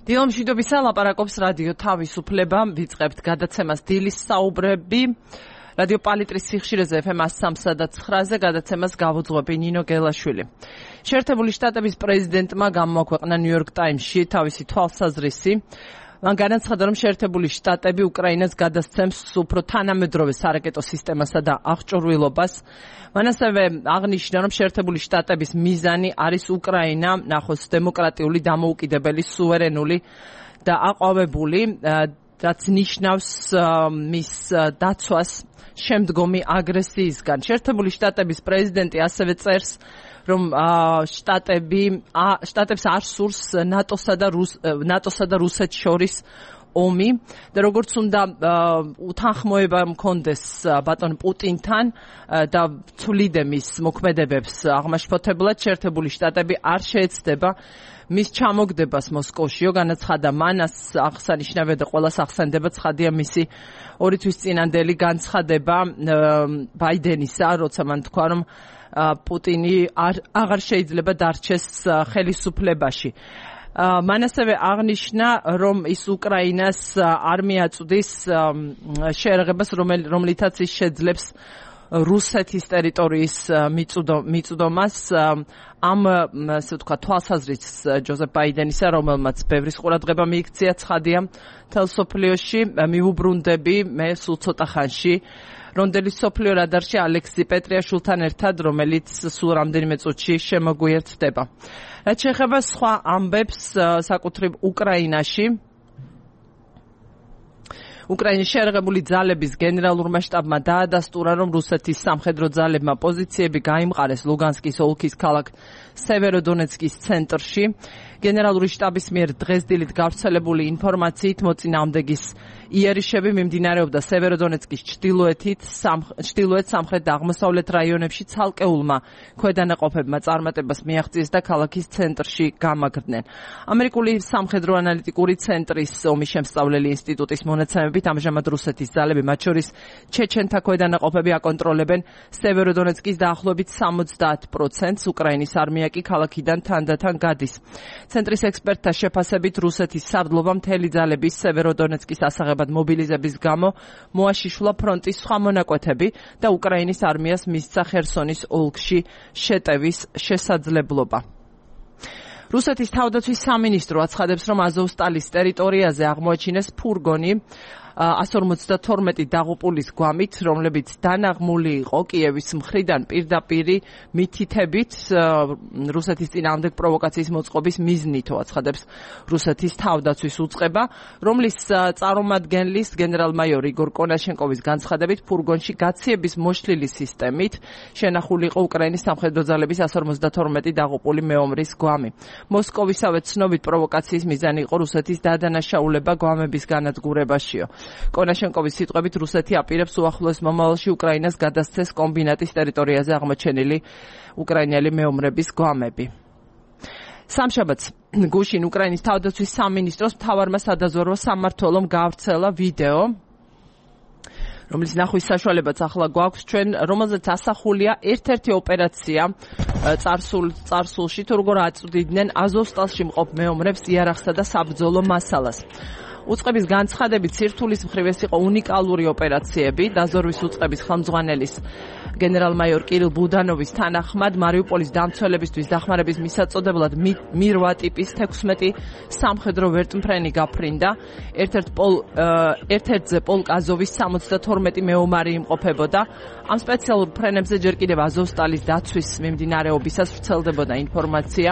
დილომშვიდობისა, ლაპარაკობს რადიო თავისუფლება, ვიწყებთ გადაცემას დილის საუბრები. რადიო პალიტრის სიხშირეზე FM 103 და 9-ზე გადაცემას გავუძღვები ნინო გელაშვილი. შეერთებული შტატების პრეზიდენტმა გამოაქვეყნა New York Times-ში თავისი თვალსაზრისი. მან განაცხადა, რომ შეერთებული შტატები უკრაინას გადასცემს უფრო თანამედროვე სარაკეტო სისტემასა და აღჭურვილობას. მან ასევე აღნიშნა, რომ შეერთებული შტატების მიზანი არის უკრაინა ნახოს დემოკრატიული, დამოუკიდებელი, სუვერენული და აყვავებული, რაც ნიშნავს მის დაცვას შემდგომი აგრესიისგან. შეერთებული შტატების პრეზიდენტი ასევე წერს, რომ შტატებს არ სურს ნატოსა და რუსეთს შორის ომი და როგორც უნდა უთანხმოება მქონდეს ბატონ პუტინთან და ცვლიდე მის მოქმედებებს აღმაშფოთებლად, შეერთებული შტატები არ შეეცდება მის ჩამოგდებას მოსკოვშიო. განაცხადა მანას აღსანიშნავია და ყველას ახსენდება ცხადია მისი 2 თვის წინანდელი განცხადება ბაიდენისა, როცა მან თქვა, რომ პუტინი აღარ შეიძლება დარჩეს ხელისუფლებაში. მან ასევე აღნიშნა, რომ ის უკრაინას არ მიაწვდის შეერაღებას, რომლითაც ის შეძლებს რუსეთის ტერიტორიის მიწვდომას. ამ ასე ვთქვა თვალსაზრისს ჯოზეფ ბაიდენისა, რომელმაც ბევრის ყურადღება მიიქცია ცხადია მთელ სოფლიოში, მიუბრუნდები მე სულ ცოტა ხანში რონდელის სოფლიო რადარში ალექსი პეტრიაშვილთან ერთად, რომელიც სულ რამდენიმე წუთში შემოგვიერთდება. რაც შეეხება სხვა ამბებს საკუთრივ უკრაინაში, უკრაინის შეერაღებული ძალების გენერალურმა შტაბმა დაადასტურა, რომ რუსეთის სამხედრო ძალებმა პოზიციები გაიმყარეს ლუგანსკის ოლქის ქალაქ სევეროდონეცკის ცენტრში. გენერალური შტაბის მიერ დღეს დილით გავრცელებული ინფორმაციით მოწინააღმდეგის იერიშები მიმდინარეობდა სევეროდონეცკის ჩრდილოეთ, სამხრეთ და აღმოსავლეთ რაიონებში ცალკეულმა ქვედანაყოფებმა წარმატებას მიაღწიეს და ქალაქის ცენტრში გამაგრდნენ. ამერიკული სამხედრო ანალიტიკური ცენტრის ომის შემსწავლელი ინსტიტუტის მონაცემებით ამჟამად რუსეთის ძალები, მათ შორის ჩეჩენთა ქვედანაყოფები აკონტროლებენ სევეროდონეცკის დაახლოებით 70%, უკრაინის არმია კი ქალაქიდან თანდათან გადის. ცენტრის ექსპერტთა შეფასებით რუსეთის სარდლობა მთელი ძალების სევეროდონეცკის ასაღებად მობილიზების გამო მოაშიშვლა ფრონტის სხვა მონაკვეთები და უკრაინის არმიას მისცა ხერსონის ოლქში შეტევის შესაძლებლობა. რუსეთის თავდაცვის სამინისტრო აცხადებს, რომ აზოვსტალის ტერიტორიაზე აღმოაჩინეს ფურგონი 152 დაღუპულის გვამით, რომლებიც დანაღმული იყო კიევის მხრიდან პირდაპირი მითითებით რუსეთის წინააღმდეგ პროვოკაციის მოწყობის მიზნითო, აცხადებს რუსეთის თავდაცვის უწყება, რომლის წარმომადგენლის გენერალ-მაიორ იგორ კონაშენკოვის განცხადებით ფურგონში გაციების მოშლილი სისტემით შენახული იყო უკრაინის სამხედრო ძალების 152 დაღუპული მეომრის გვამი. მოსკოვისავე ცნობით პროვოკაციის მიზანი იყო რუსეთის დადანაშაულება გვამების განადგურებაშიო. კონაშენკოვის სიტყვებით რუსეთი აპირებს უახლოეს მომავალში უკრაინას გადასცეს კომბინატის ტერიტორიაზე აღმოჩენილი უკრაინელი მეომრების გვამები. სამშაბათს გუშინ უკრაინის თავდაცვის სამინისტროს მთავარმა სადაზვერვო სამმართველომ გაავრცელა ვიდეო, რომლის ნახვის საშუალებაც ახლა გვაქვს ჩვენ, რომელზეც ასახულია ერთ-ერთი ოპერაცია წარსულში, თუ როგორ აწვდიდნენ აზოვსტალში მყოფ მეომრებს იარაღსა და საბრძოლო მასალას. უწყების განცხადებით სირთულის მხრივ ეს იყო უნიკალური ოპერაციები. დაზვერვის უწყების ხელმძღვანელის გენერალ-მაიორ კირილ ბუდანოვის თანახმად მარიუპოლის დამცველებისთვის დახმარების მისაწოდებლად მირვა ტიპის 16 სამხედრო ვერტმფრენი გაფრინდა. ერთ-ერთზე პოლკ აზოვის 72 მეომარი იმყოფებოდა. ამ სპეციალურ ფრენებზე ჯერ კიდევ აზოვსტალის დაცვის მიმდინარეობისას ვრცელდებოდა ინფორმაცია.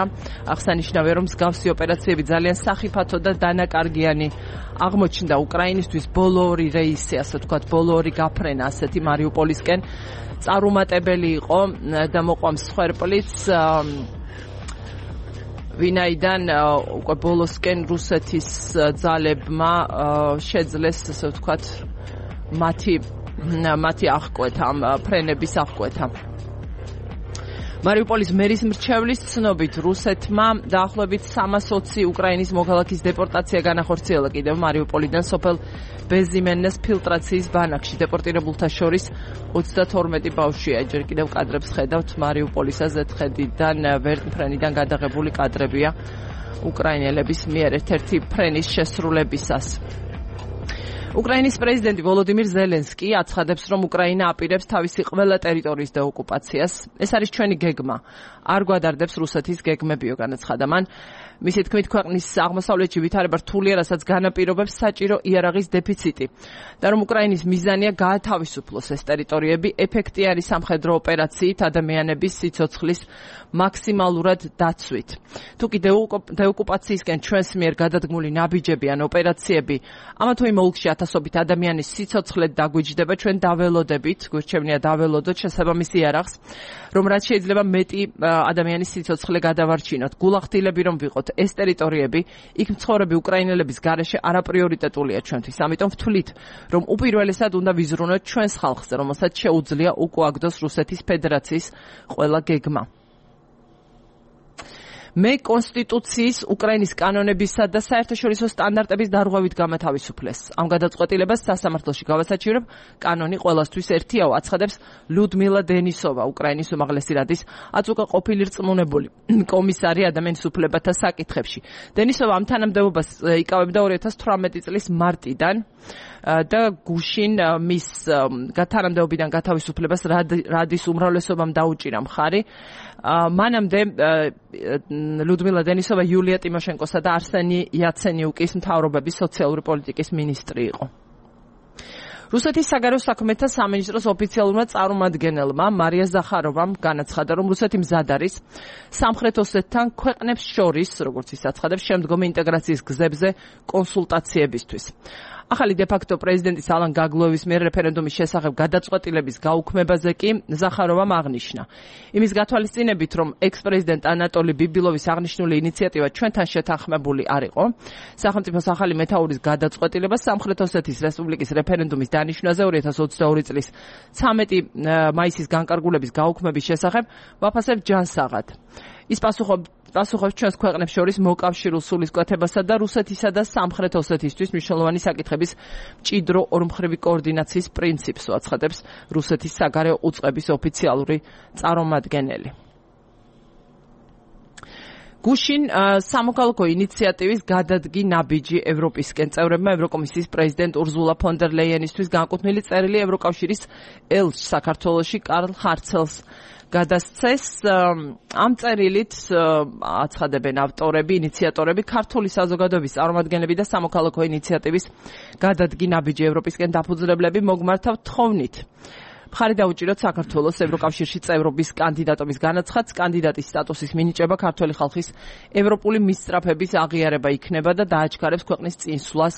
აღსანიშნავია, რომ მსგავსი ოპერაციები ძალიან სახიფათო და დანაკარგიანი აღმოჩნდა უკრაინისთვის. ბოლო 2 რეისი, ასე ვთქვათ, ბოლო 2 გაფრენა ასეთი მარიუპოლისკენ წარუმატებელი იყო და მოყვამ სხერპლიც, ვინაიდან უკვე ბოლოსკენ რუსეთის ძალებმა შეძლეს, ასე ვთქვათ, მათი აღკვეთა, ამ ფრენების აღკვეთა. მარიუპოლის მერის მრჩევლის ცნობით რუსეთმა დაახლოებით 320 უკრაინის მოქალაქის დეპორტაცია განახორციელა კიდევ მარიუპოლიდან სოფელ ბეზიმენეს ფილტრაციის ბანაკში. დეპორტირებულთა შორის 32 ბავშვია. ჯერ კიდევ კადრებს ხედავთ მარიუპოლის ზედხედიდან, ვერტმფრენიდან გადაღებული კადრებია. უკრაინელების მიერ ერთ-ერთი ფრენის შესრულებისას. უკრაინის პრეზიდენტი ვოლოდიმირ ზელენსკი აცხადებს, რომ უკრაინა აპირებს თავისი ყველა ტერიტორიის დეოკუპაციას. ეს არის ჩვენი გეგმა. არ გვადარდებს რუსეთის გეგმებიო, განაცხადა მან. მისი თქმით, ქვეყნის აღმოსავლეთში ვითარება რთულია, რასაც განაპირობებს საჭირო იარაღის დეფიციტი და რომ უკრაინის მიზანია გაათავისუფლოს ეს ტერიტორიები ეფექტიანი სამხედრო ოპერაციით ადამიანების სიცოცხლის მაქსიმალურად დაცვით. თუკი დეოკუპაციისკენ ჩვენს მიერ გადადგმული ნაბიჯები ან ოპერაციები ამა თუ იმ ოლქში ათასობით ადამიანის სიცოცხლედ დაგვიჯდება, ჩვენ დაველოდებით, გვირჩევნია დაველოდოთ შესაბამის იარაღს, რომ რაც შეიძლება მეტი ადამიანის სიცოცხლე გადავარჩინოთ. გულახდილები რომ ვიყოთ ეს ტერიტორიები, იქ მცხოვრები უკრაინელების გარეშე არაპრიორიტეტულია ჩვენთვის. ამიტომ ვთვლით, რომ უპირველესად უნდა ვიზრუნოთ ჩვენს ხალხზე, რომელსაც შეუძლია უკუაგდოს რუსეთის ფედერაციის ყველა გეგმა. მე კონსტიტუციის, უკრაინის კანონებისა და საერთაშორისო სტანდარტების დარღვევით გამათავისუფლეს. ამ გადაწყვეტილებას სასამართლოში გავასაჩივრებ, კანონი ყველასთვის ერთიაო, აცხადებს ლუდმილა დენისოვა, უკრაინის უმაღლესი რადის აწუկა ყოფილი რწმუნებული კომისარი ადამიანის უფლებათა საკითხებში. დენისოვა ამ თანამდებობას იკავებდა 2018 წლის მარტიდან და გუშინ მის თანამდებობიდან გათავისუფლებას რადის უმრავლესობამ დაუჭირა მხარი. მანამდე ლუდმილა დენისოვა იულია ტიმოშენკოსა და არსენი იაცენიუკის მთავრობების სოციალური პოლიტიკის მინისტრი იყო. რუსეთის საგარეო საქმეთა სამინისტროს ოფიციალურმა წარმომადგენელმა მარია ზახაროვამ განაცხადა, რომ რუსეთი მზად არის სამხრეთ ოსეთთან ქვეყნებს შორის, როგორც ის აცხადებს, შემდგომი ინტეგრაციის გზებზე კონსულტაციებისთვის. ახალი დე-ფაქტო პრეზიდენტის ალან გაგლოევის მიერ რეფერენდუმის შესახებ გადაწყვეტილების გაუქმებაზე კი ზახაროვამ აღნიშნა. იმის გათვალისწინებით, რომ ექს-პრეზიდენტ ანატოლი ბიბილოვის აღნიშნული ინიციატივა ჩვენთან შეთანხმებული არ იყო, სახელმწიფოს ახალი მეთაურის გადაწყვეტილება სამხრეთ ოსეთის რესპუბლიკის რეფერენდუმის დანიშვნაზე 2022 წლის 13 მაისის განკარგულების გაუქმების შესახებ ვაფასებ ჯანსაღად. ის პასუხობს ჩვენს ქვეყნებს შორის მოკავშირულ სულისკვეთებასა და რუსეთისა და სამხრეთ ოსეთისთვის მნიშვნელოვანი საკითხების მჭიდრო ორმხრივი კოორდინაციის პრინციპს, აცხადებს რუსეთის საგარეო უწყების ოფიციალური წარმომადგენელი. გუშინ სამოქალაქო ინიციატივის გადადგი ნაბიჯი ევროპისკენ წევრებმა ევროკომისიის პრეზიდენტ ურზულა ფონ დერ ლეიენისთვის განკუთვნილი წერილი ევროკავშირის ელჩს საქართველოში კარლ ხარცელს გადასცეს. ამ წერილით აცხადებენ ავტორები, ინიციატორები, ქართული საზოგადოების წარმომადგენლები და სამოქალაქო ინიციატივის გადადგი ნაბიჯი ევროპისკენ დაფუძნებლები მოგმართავ თხოვნით. მხარი დაუჭიროთ საქართველოს ევროკავშირში წევრობის კანდიდატობის განაცხადს, კანდიდატის სტატუსის მინიჭება ქართველი ხალხის ევროპული მისწრაფების აღიარება იქნება და დააჩქარებს ქვეყნის წინსვლას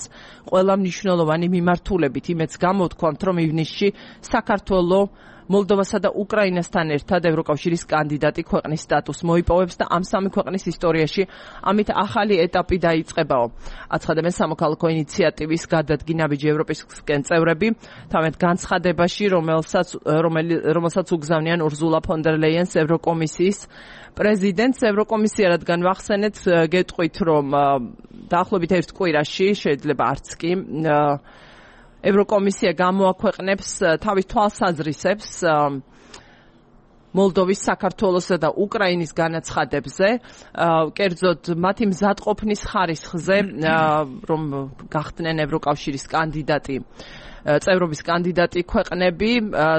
ყველა მნიშვნელოვანი მიმართულებით. იმეც გამოვთქვამთ, რომ ივნისში საქართველოს მოლდოვასა და უკრაინასთან ერთად ევროკავშირის კანდიდატი ქვეყნის სტატუსს მოიპოვებს და ამ სამი ქვეყნის ისტორიაში ამით ახალი ეტაპი დაიწყებაო. აცხადებენ სამოქალაქო ინიციატივის გადადგი ნაბიჯი ევროპისკენ წევრები თავად განცხადებაში, რომელსაც უგზავნიან ურზულა ფონ დერ ლეიენს ევროკომისიის პრეზიდენტს. ევროკომისია, რადგან ვახსენეთ, გეტყვით, რომ დაახლოებით ერთ კვირაში, შეიძლება არც კი, ევროკომისია გამოაქვეყნებს თავის თვალსაზრისებს მოლდოვის, საქართველოსა და უკრაინის განაცხადებზე, კერძოდ მათი მზადყოფნის ხარისხზე, რომ გახდნენ ევროკავშირის კანდიდატი, წევრობის კანდიდატი ქვეყნები.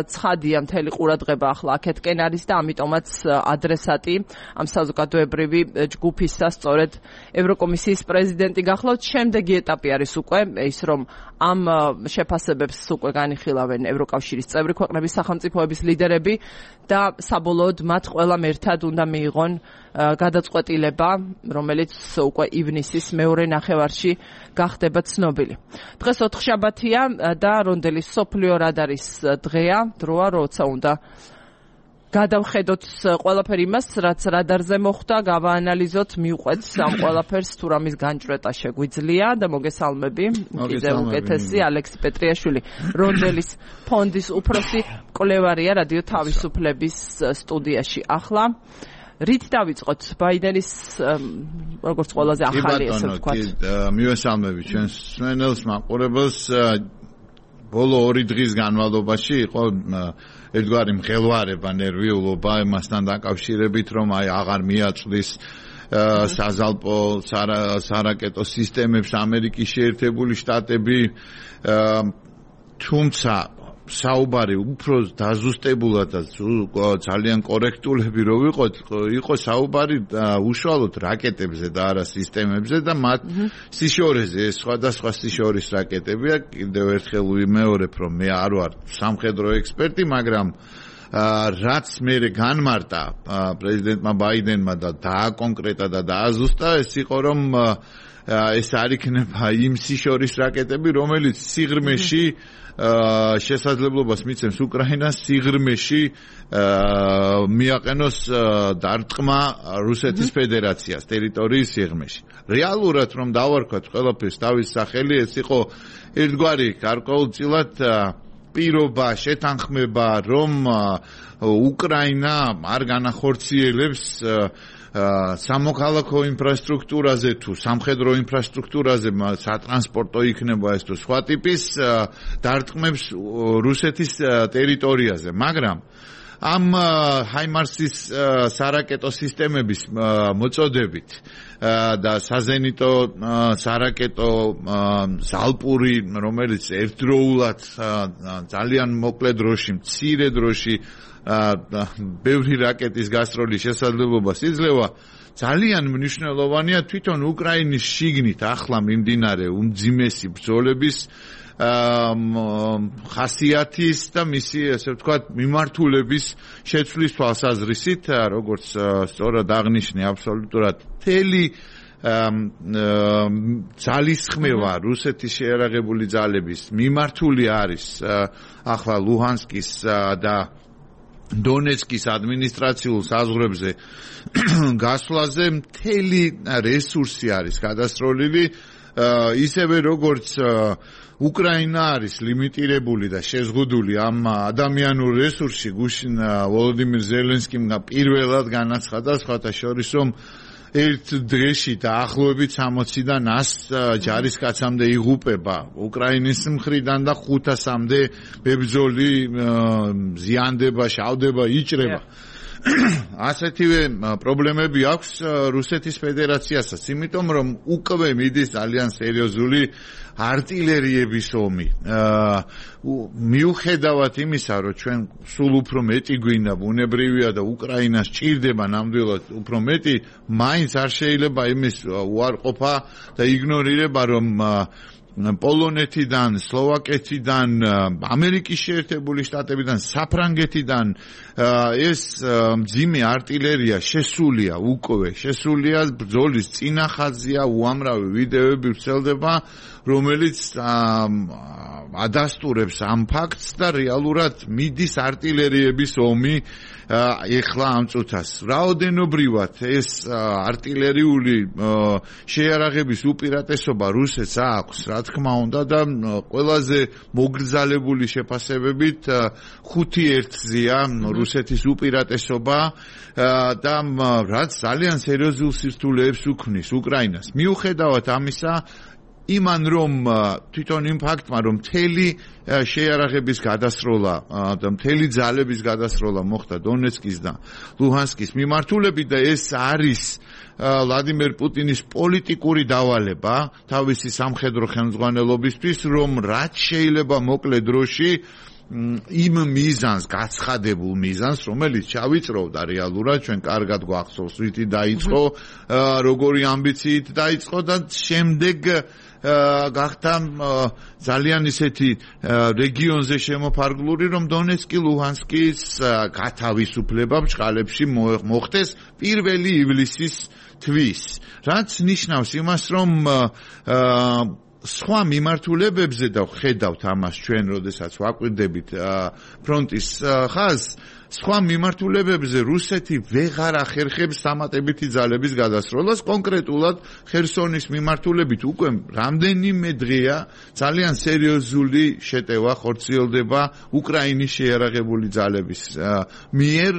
ცხადია, მთელი ყურადღება ახლა აქეთკენ არის და ამიტომაც ადრესატი ამ საზოგადოებრივი ჯგუფისა სწორედ ევროკომისიის პრეზიდენტი გახლავთ. შემდეგი ეტაპი არის უკვე ის, რომ ამ შეფასებებს უკვე განიხილავენ ევროკავშირის წევრი ქვეყნების სახელმწიფოების ლიდერები და საბოლოოდ მათ ყველამ ერთად უნდა მიიღონ გადაწყვეტილება, რომელიც უკვე ივნისის მეორე ნახევარში გახდება ცნობილი. დღეს ოთხშაბათია და რონდელი სოფლიო რადარის დროა, როცა უნდა გადავხედოთ ყველაფერი იმას, რაც რადარზე მოხდა, გავაანალიზოთ, მივყვეთ ამ ყველაფერს, თუ რამის განჭრეტა შეგვიძლია და მოგესალმები კიდევ უკეთესი ალექსი პეტრიაშვილი, რონდელის ფონდის უფროსი მკვლევარია რადიო თავისუფლების სტუდიაში. ახლა რით დავიწყოთ ბაიდენის როგორც ყველაზე ახალი ესე ვთქვათ. მივესალმები ჩვენს მსმენელს, მაყურებელს. ბოლო 2 დღის განმავლობაში იყო ერთგვარი მღელვარება, ნერვიულობა იმასთან დაკავშირებით, რომ აღარ მიაწვდის საზალპო სარაკეტო სისტემებს ამერიკის შეერთებული შტატები თუმცა საუბარი უფრო დაზუსტებულად და ძალიან კორექტულები რო იყო საუბარი უშუალოდ რაკეტებზე და არა სისტემებზე და მათ სიშორეზე ეს სხვადასხვა სიშორის რაკეტებია კიდევ ერთხელ ვიმეორებ რომ მე არ ვარ სამხედრო ექსპერტი მაგრამ რაც მე განმარტა პრეზიდენტმა ბაიდენმა და დააკონკრეტა და დააზუსტა ეს იყო რომ ეს არ იქნება იმ სიშორის რაკეტები რომელიც სიღრმეში შესაძლებლობას მიცემს უკრაინას სიღრმეში მიაყენოს დარტყმა რუსეთის ფედერაციას ტერიტორიის სიღრმეში. რეალურად რომ დავარქვათ ყველაფერს თავის სახელი ეს იყო ერთგვარი გარკვეულწილად პირობა შეთანხმება რომ უკრაინა არ განახორციელებს სამოქალაქო ინფრასტრუქტურაზე თუ სამხედრო ინფრასტრუქტურაზე სატრანსპორტო იქნება ეს თუ სხვა ტიპის დარტყმებს რუსეთის ტერიტორიაზე მაგრამ ამ ჰაიმარსის სარაკეტო სისტემების მოწოდებით და საზენიტო სარაკეტო ზალპური რომელიც ერთდროულად ძალიან მოკლე დროში მცირე დროში ბევრი რაკეტის გასროლის შესაძლებლობას იძლევა ძალიან მნიშვნელოვანია თვითონ უკრაინის შიგნით ახლა მიმდინარე უმძიმესი ბრძოლების ხასიათის და მისი ესე ვთქვათ მიმართულების შეცვლის თვალსაზრისით როგორც სწორად აღნიშნე აბსოლუტურად მთელი ძალისხმევა რუსეთის შეიარაღებული ძალების მიმართული არის ახლა ლუჰანსკის და დონეცკის ადმინისტრაციულ საზღვრებზე გასვლაზე მთელი რესურსი არის გადასროლილი ისევე როგორც უკრაინა არის ლიმიტირებული და შეზღუდული ამ ადამიანურ რესურსში გუშინ ვოლოდიმირ ზელენსკიმ პირველად განაცხადა სხვათა შორის რომ ერთ დღეში დაახლოებით 60-დან 100 ჯარისკაცამდე იღუპება უკრაინის მხრიდან და 500-მდე ბებრძოლი ზიანდება, შავდება, იჭრება. ასეთივე პრობლემები აქვს რუსეთის ფედერაციასაც, იმიტომ რომ უკვე მიდის ძალიან სერიოზული არტილერიების ომი. მიუხედავად იმისა, რომ ჩვენ სულ უფრო მეტი გვინდა, ბუნებრივია და უკრაინას ჭირდება ნამდვილად უფრო მეტი, მაინც არ შეიძლება იმის უარყოფა და იგნორირება, რომ პოლონეთიდან, სლოვაკეთიდან, ამერიკის შეერთებული შტატებიდან, საფრანგეთიდან ეს მძიმე არტილერია შესულია უკვე, შესულია ბრძოლის წინა ხაზია, უამრავი ვიდეოები ვრცელდება, რომელიც ადასტურებს ამ ფაქტს და რეალურად მიდის არტილერიების ომი ეხლა ამ წუთას. რაოდენობრივად ეს არტილერიული შეიარაღების უპირატესობა რუსეთს აქვს, რა თქმა უნდა და ყველაზე მოგრძალებული შეფასებებით 5-1-ზეა რუსეთის უპირატესობა და რაც ძალიან სერიოზულ სირთულეებს უქმნის უკრაინას. მიუხედავად ამისა იმან რომ თვითონ იმ ფაქტმა რომ მთელი შეიარაღების გადასროლა და მთელი ძალების გადასროლა მოხდა დონეცკის და ლუჰანსკის მიმართულებით და ეს არის ვლადიმერ პუტინის პოლიტიკური დავალება თავისი სამხედრო ხელმძღვანელობისთვის რომ რაც შეიძლება მოკლე დროში იმ მიზანს გაცხადებულ მიზანს რომელიც ჩავიწროვდა რეალურად ჩვენ კარგად გვახსოვს რითი დაიწყო როგორი ამბიციით დაიწყო და შემდეგ გახდა ძალიან ისეთი რეგიონზე შემოფარგლული რომ დონეცკი ლუჰანსკის გათავისუფლება ბჭყალებში მოხდეს 1 ივლისის თვის რაც ნიშნავს იმას რომ სხვა მიმართულებებზე და ხედავთ ამას ჩვენ როდესაც ვაკვირდებით ფრონტის ხაზს სხვა მიმართულებებზე რუსეთი ვეღარ ახერხებს დამატებითი ძალების გადასროლას კონკრეტულად ხერსონის მიმართულებით უკვე რამდენიმე დღეა ძალიან სერიოზული შეტევა ხორციელდება უკრაინის შეიარაღებული ძალების მიერ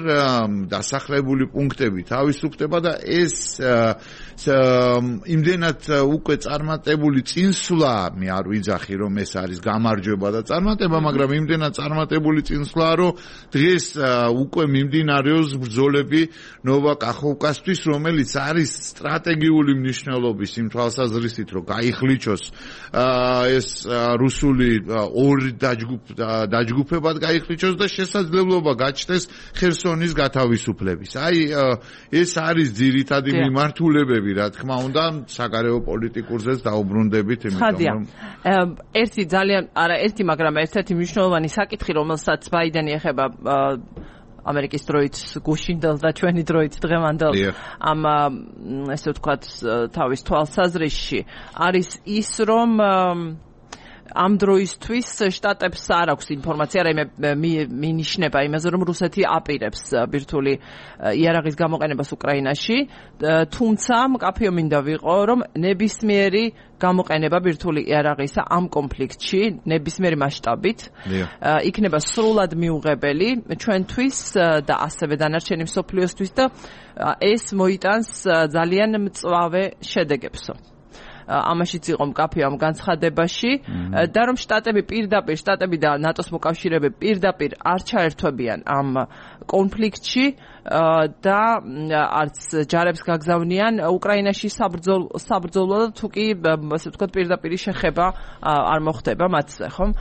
დასახლებული პუნქტები თავისუფლდება და ეს იმდენად უკვე წარმატებული წინსვლა წინსვლა მე არ ვიძახი რომ ეს არის გამარჯვება და წარმატება, მაგრამ იმდენად წარმატებული წინსვლა რომ დღეს უკვე მიმდინარეობს ბრძოლები ნოვა კახოვკასთვის, რომელიც არის სტრატეგიული მნიშვნელობის იმ თვალსაზრისით, რომ გაიხლიჩოს ეს რუსული ორი დაჯგუფებად გაიხლიჩოს და შესაძლებლობა გაჩნდეს ხერსონის გათავისუფლების. აი ეს არის ძირითადი მიმართულებები, რა თქმა უნდა, საგარეო პოლიტიკურზეც დაუბრუნდებით, იმიტომ რომ ერთი, მაგრამ ერთ-ერთი მნიშვნელოვანი საკითხი, რომელსაც ბაიდენი ეხება ამერიკის დროით გუშინდელს და ჩვენი დროით დღევანდელს ამ ესე ვთქვათ თავის თვალსაზრისში არის ის, რომ ამ დროისთვის შტატებს არ აქვს ინფორმაცია, მინიშნება იმაზე, რომ რუსეთი აპირებს ბირთვული იარაღის გამოყენებას უკრაინაში, თუმცა მკაფიო მინდა ვიყო, რომ ნებისმიერი გამოყენება ბირთვული იარაღისა ამ კონფლიქტში, ნებისმიერი მასშტაბით, იქნება სრულად მიუღებელი ჩვენთვის და ასევე დანარჩენი მსოფლიოსთვის და ეს მოიტანს ძალიან მწვავე შედეგებსო. ამაშიც იყო მკაფიო ამ განცხადებაში და რომ შტატები და ნატოს მოკავშირეები პირდაპირ არ ჩაერთვებიან ამ კონფლიქტში და არც ჯარებს გაგზავნიან უკრაინაში საბრძოლო და თუ კი ასე ვთქვათ პირდაპირი შეხება არ მოხდება მათზე, ხომ?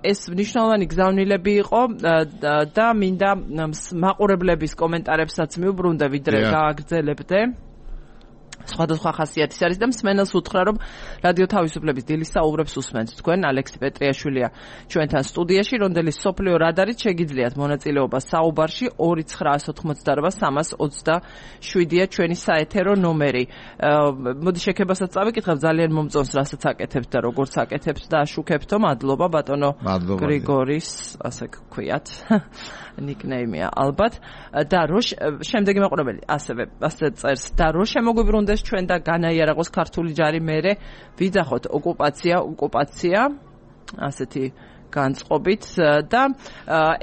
ეს მნიშვნელოვანი გზავნილები იყო და მინდა მაყურებლების კომენტარებსაც მიუბრუნდე, ვიდრე გააგრძელებდე. სხვადასხვა ხასიათის არის და მსმენელს უთხრა, რომ რადიო თავისუფლების დილის საუბრებს უსმენთ თქვენ. ალექსი პეტრიაშვილია ჩვენთან სტუდიაში, რონდელის სოფლიო რადარით შეგიძლიათ მონაწილეობა საუბარში 299-327-ია ჩვენი საეთერო ნომერი. მოდი შეკებასაც წავიკითხებ, ძალიან მომწონს რასაც აკეთებთ და როგორც აკეთებთ და აშუქებთო. მადლობა ბატონო გრიგორის, ასე გქვიათ. ნიკნეიმია ალბათ და შემდეგი მაყურებელი ასე წერს და რო შემოგვიბრუნდეს ჩვენ და განაიარაღოს ქართული ჯარი მერე ვიძახოთ ოკუპაცია ასეთი განწყობით და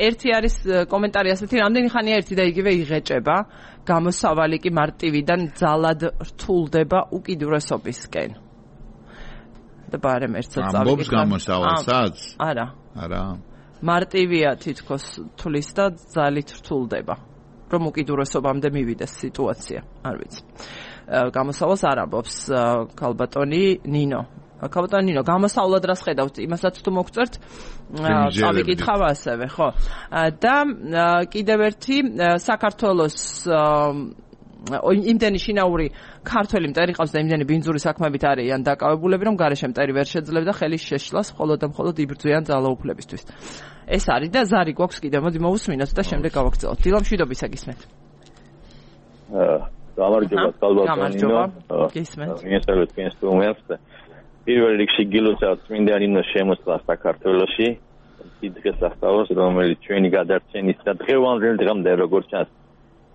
ერთი არის კომენტარი ასეთი, რამდენი ხანია ერთი და იგივე იღეჭება, გამოსავალი კი მარტივიდან ძალად რთულდება უკიდურესობისკენ. და ბარემ ერთსაც წავიკითხე. ამბობს გამოსავალსაც? არა. მარტივია თითქოს თulis და ძალით რთულდება, რომ უკიდურესობამდე მივიდეს სიტუაცია, არ ვიცი. გამოსავალს არ ამბობს ქალბატონი ნინო. ქალბატონი ნინო, გამოსავლად რას ხედავთ? იმასაც თუ მოგწერთ, წავიკითხავ ასევე, ხო? და კიდევ ერთი საქართველოს იმდენი შინაური ქართველი მტერი ყავს და იმდენი ბინძური საქმებით არიან დაკავებულები, რომ გარეშე მტერი ვერ შეძლებდა ხელის შეშლას მხოლოდ და მხოლოდ იბრძვიან ძალაუფლებისთვის. ეს არის და ზარი გვაქვს კიდევ, მოდი მოვუსმინოთ და შემდეგ გავაგრძელოთ. დილამ შვიდობისა გისმენთ. გამარჯობა, გამარჯობა. გისმენთ. მიესალმეთ თქვენს სტუმარს. პირველ რიგში გილოცავთ წმინდა ნინოს შემოსვლა საქართველოში. დიდ სასწაულს, რომელიც ჩვენი გადარჩენის და დღევანდელ დღემდე როგორც ჩანს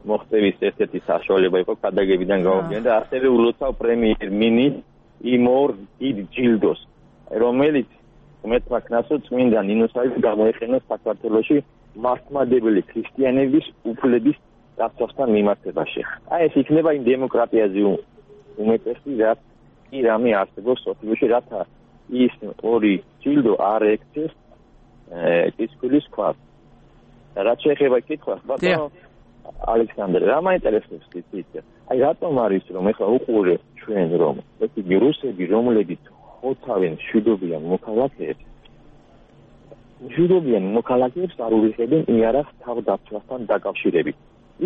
მოხდების ერთ-ერთი საშუალება იყო ქადაგებიდან გამომდინარე და ასევე ულოცავ პრემიერ მინისტრ იმორ დიდ ჯილდოს, რომელიც უმეტმა ქნასო წმინდა ნინოსაის გამოიყენოს საქართველოში მართლმადიდებელი ქრისტიანების უფლების დაცვასთან მიმართებაში. აი ეს იქნება იმ დემოკრატიაზე უმეტესი, რაც კი რამე არსებობს სოფლიოში, რათა ის ორი ჯილდო არ ექცეს კისკულის ქვას. და რაც შეეხება კითხვას, ბატონო ალექსანდრე, რა მაინტერესებს გიცით? აი რატომ არის რომ ეხლა უყურებთ ჩვენ რომ ესეთი რუსები, რომლებიც ხოთავენ მშვიდობიან მოქალაქეებს არ ურიხებენ იარაღს თავდაცვასთან დაკავშირებით.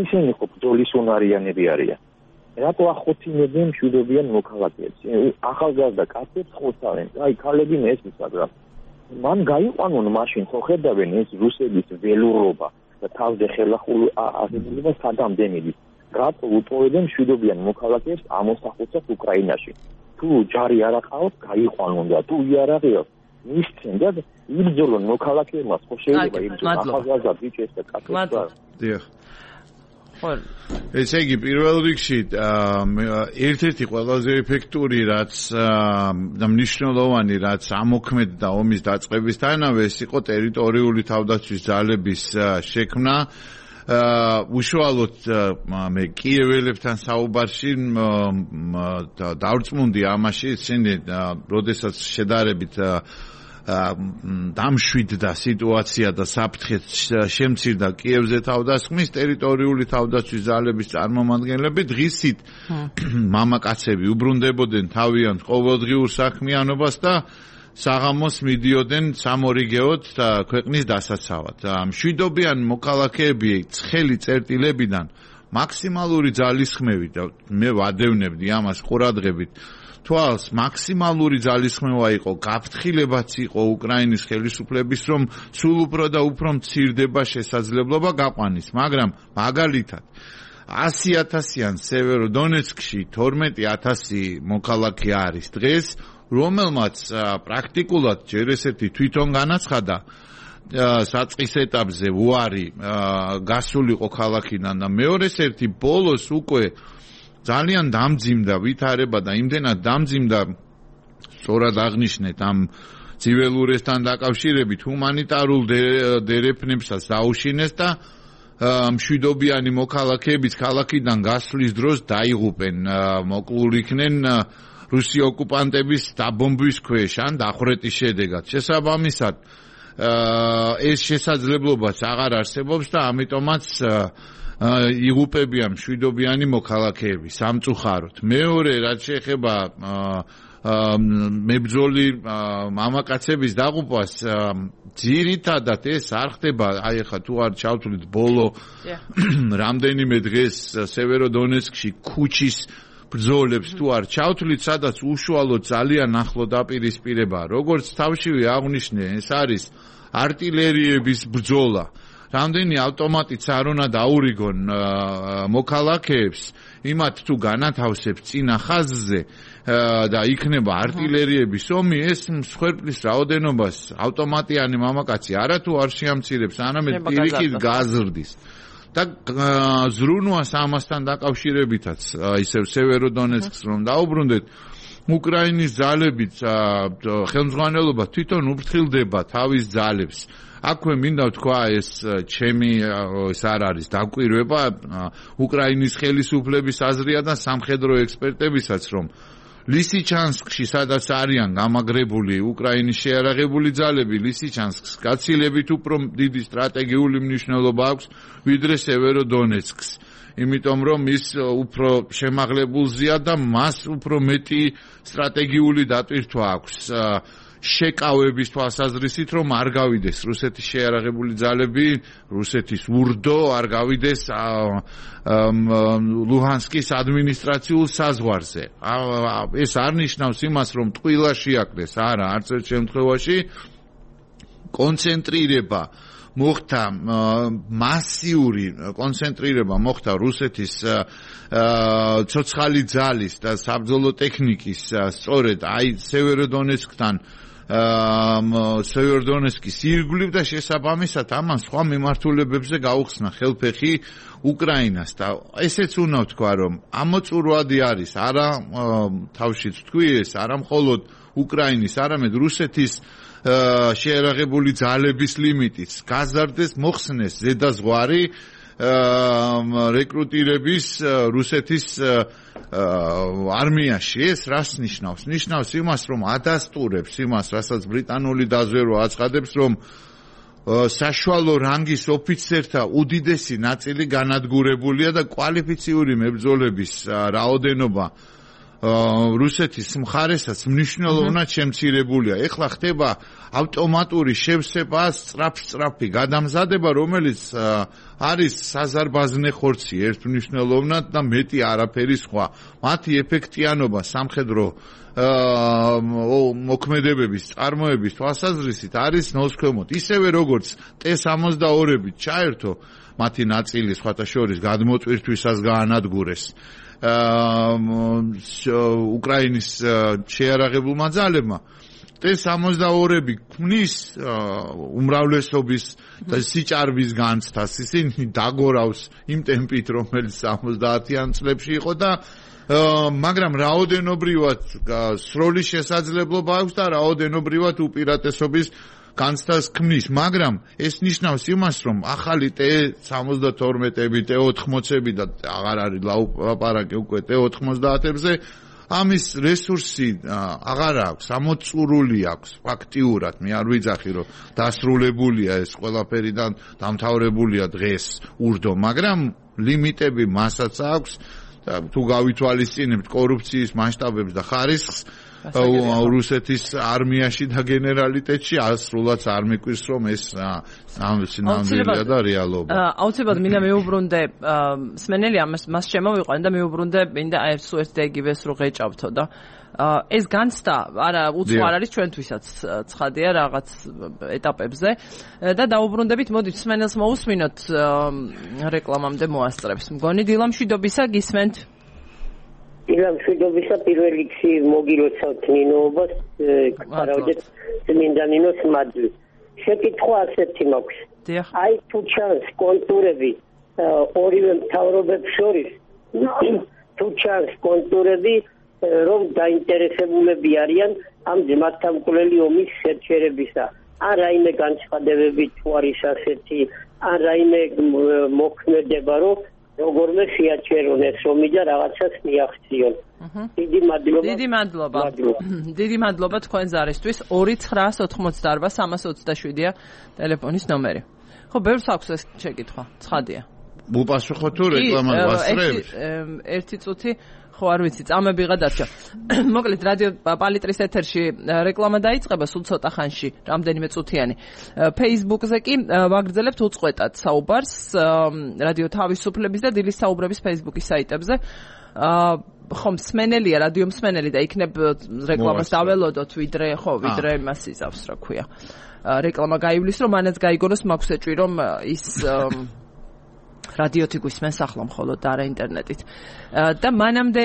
ისინი ხო ბრძოლის უნარიანები არიან. რატო ახოთინებენ მშვიდობიან მოქალაქეებს? ახალგაზრდა კაცებს ხოთავენ. აი ქალები მესმის, მაგრამ მან გაიყვანონ მაშინ ხო ხედავენ ეს რუსების ველურობა და თავზე ხელახული აღებულება სადამდენელი. რატო უტოვებენ მშვიდობიან მოქალაქეებს ამოსახულსაც უკრაინაში? თუ ჯარი არ აყავთ, გაიყვანონ და თუ იარაღი აქვს, მისცენ და იბრძოლონ მოქალაქეებმა, ხო შეიძლება იბრძოლონ ახალგაზრდა ბიჭებს და კაცებს. დიახ. ესე იგი პირველ რიგში ერთ-ერთი ყველაზე ეფექტური რაც და მნიშვნელოვანი რაც ამოქმედდა ომის დაწყებისთანავე ეს იყო ტერიტორიული თავდაცვის ძალების შექმნა უშუალოდ მე კიეველებთან საუბარში დავრწმუნდი ამაში, ისინი როდესაც შედარებით დამშვიდდა სიტუაცია და საფრთხე შემცირდა კიევზე თავდასხმის, ტერიტორიული თავდაცვის ძალების წარმომადგენლები დღისით მამაკაცები უბრუნდებოდნენ თავიანთ ყოველდღიურ საქმიანობას და საღამოს მიდიოდნენ სამორიგეოდ ქვეყნის დასაცავად. მშვიდობიან მოქალაქეები ცხელი წერტილებიდან მაქსიმალური ძალისხმევით და მე ვადევნებდი ამას ყურადღებით თვალს მაქსიმალური ძალისხმევა იყო, გაფრთხილებაც იყო უკრაინის ხელისუფლების, რომ სულ უფრო და უფრო მცირდება შესაძლებლობა გაყვანის, მაგრამ მაგალითად 100,000-იან სევეროდონეცკში 12,000 მოქალაქე არის დღეს, რომელმაც პრაქტიკულად ჯერ ესეთი თვითონ განაცხადა საწყის ეტაპზე უარი გასულიყო ქალაქიდან და მეორეს ერთი ბოლოს უკვე ძალიან დამძიმდა ვითარება და იმდენად დამძიმდა სწორად აღნიშნეთ ამ ცივილურესთან დაკავშირებით ჰუმანიტარულ დერეფნებსაც დაუშინეს და მშვიდობიანი მოქალაქეებიც ქალაქიდან გასვლის დროს დაიღუპენ, მოკლულ იქნენ რუსი ოკუპანტების დაბომბვის ქვეშ ან დახვრეტის შედეგად. შესაბამისად ეს შესაძლებლობაც აღარ არსებობს და ამიტომაც იღუპებიან მშვიდობიანი მოქალაქეები სამწუხაროდ. მეორე რაც შეეხება მებრძოლი მამაკაცების დაღუპვას, ძირითადად ეს არ ხდება, აი ახლა თუ არ ჩავთვლით ბოლო რამდენიმე დღეს სევეროდონეცკში ქუჩის ბრძოლებს თუ არ ჩავთვლით, სადაც უშუალოდ ძალიან ახლო დაპირისპირება, როგორც თავშივე აღნიშნე, ეს არის არტილერიების ბრძოლა. რამდენი ავტომატიც არ უნდა დაურიგონ მოქალაქეებს, იმათ თუ განათავსებს წინა ხაზზე და იქნება არტილერიების ომი, ეს მსხვერპლის რაოდენობას ავტომატიანი მამაკაცი არათუ არ შეამცირებს, არამედ პირიქით გაზრდის. და ზრუნვას ამასთან დაკავშირებითაც ისევ სევეროდონეცკს რომ დაუბრუნდეთ, უკრაინის ძალებით ხელმძღვანელობა თვითონ უფრთხილდება თავის ძალებს. აქვე მინდა ვთქვა, ეს ჩემი ეს არ არის დაკვირვება, უკრაინის ხელისუფლების აზრია და სამხედრო ექსპერტებისაც, რომ ლისიჩანსკში, სადაც არიან გამაგრებული უკრაინის შეიარაღებული ძალები, ლისიჩანსკს გაცილებით უფრო დიდი სტრატეგიული მნიშვნელობა აქვს, ვიდრე სევეროდონეცკს. იმიტომ რომ ის უფრო შემაღლებულზეა და მას უფრო მეტი სტრატეგიული დატვირთვა აქვს. შეკავების თვალსაზრისით, რომ არ გავიდეს რუსეთის შეიარაღებული ძალები, რუსეთის ურდო არ გავიდეს ლუჰანსკის ადმინისტრაციულ საზღვარზე. ეს არ ნიშნავს იმას, რომ ტყილა შეაკდეს, არა, არც ერთ შემთხვევაში. კონცენტრირება მოხდა, მასიური კონცენტრირება მოხდა რუსეთის ცოცხალი ძალის და საბრძოლო ტექნიკის სწორედ აი სევეროდონეცკთან სევეროდონეცკის ირგვლივ და შესაბამისად ამან სხვა მიმართულებებზე გაუხსნა ხელფეხი უკრაინას და ესეც უნდა ვთქვა, რომ ამოწურვადი არის არა თავშიც თქვი ეს, არა მხოლოდ უკრაინის, არამედ რუსეთის შეიარაღებული ძალების ლიმიტიც გაზარდეს, მოხსნეს ზედაზღვარი რეკრუტირების რუსეთის არმიაში. ეს რას ნიშნავს? ნიშნავს იმას, რომ ადასტურებს იმას, რასაც ბრიტანული დაზვერვა აცხადებს, რომ საშუალო რანგის ოფიცერთა უდიდესი ნაწილი განადგურებულია და კვალიფიციური მებრძოლების რაოდენობა რუსეთის მხარესაც მნიშვნელოვნად შემცირებულია. ეხლა ხდება ავტომატური შევსება, სწრაფი გადამზადება, რომელიც არის საზარბაზნე ხორცი ერთმნიშვნელოვნად და მეტი არაფერი სხვა. მათი ეფექტიანობა სამხედრო მოქმედებების წარმოების თვალსაზრისით არის ნულს ქვემოთ. ისევე როგორც T-62-ებით ჩაერთო მათი ნაწილი სხვათა შორის გადმოწვირთვისას გაანადგურეს უკრაინის შეიარაღებულმა ძალებმა. T-62-ები ქმნის უმრავლესობის და სიჭარბის განცდას, ისინი დაგორავს იმ ტემპით, რომელიც 70-იან წლებში იყო და მაგრამ რაოდენობრივად სროლის შესაძლებლობა აქვს და რაოდენობრივად უპირატესობის განცდას ქმნის, მაგრამ ეს ნიშნავს იმას, რომ ახალი T-72-ები, T-80-ები და აღარ არის ლაპარაკი უკვე T-90-ებზე ამის რესურსი აღარ აქვს, ამოწურული აქვს ფაქტიურად. მე არ ვიძახი, რომ დასრულებულია ეს ყველაფერი და დამთავრებულია დღეს ურდო, მაგრამ ლიმიტები მასაც აქვს. თუ გავითვალისწინებთ კორუფციის მასშტაბებს და ხარისხს რუსეთის არმიაში და გენერალიტეტში ასრულაც არ მიკვირს რომ ეს ნამდვილია და რეალობა. აუცილებლად მინდა მეუბრუნდე სმენელი მას შემოვიყვანე და მეუბრუნდე მინდა ერთ და იგივეს რო ღეჭავთო და ეს განცდა არა უცხო არ არის ჩვენთვისაც ცხადია რაღაც ეტაპებზე და დაუბრუნდებით მოდით სმენელს მოусმინოთ რეკლამამდე მოასწრებს. მგონი დილამშვიდობისა გისმენთ? დილამშვიდობისა პირველ რიგში მოგილოცავთ ნინოობას გქარავდეთ წმინდა ნინოს მადლი. შეკითხვა ასეთი მაქვს. აი თუ ჩანს კონტურები ორივე მთავრობებს შორის თუ ჩანს კონტურები რომ დაინტერესებულები არიან ამ ძმათთამკვლელი ომის შეჩერებისა. ან რაიმე განცხადებები თუ არის ასეთი, ან რაიმე მოქმედება, რომ როგორმე შეაჩერონ ეს ომი და რაღაცას მიაღწიონ. დიდი მადლობა. დიდი მადლობა თქვენ ზარისთვის. 2988327-ია ტელეფონის ნომერი. ხო, ბევრს აქვს ეს შეკითხვა. ცხადია. უპასუხო თუ რეკლამა ვასწრებთ? ერთი წუთი ხო არ ვიცი, წამებიღა დარჩა. მოკლედ რადიო პალიტრის ეთერში რეკლამა დაიწყება სულ ცოტა ხანში, რამდენიმე წუთიანი. Facebook-ზე კი ვაგრძელებთ უწყვეტად საუბარს რადიო თავისუფლების და დილის საუბრების Facebook-ის საიტებზე. ხომ მსმენელია, რადიო მსმენელი და იქნებ რეკლამას დაველოდოთ, ვიდრე იმას იზავს, რა ქვია. რეკლამა გაივლის, რომ მანაც გაიგონოს, მაქვს ეჭვი, რომ ის რადიოთი გვისმენს ახლა მხოლოდ და არა ინტერნეტით. და მანამდე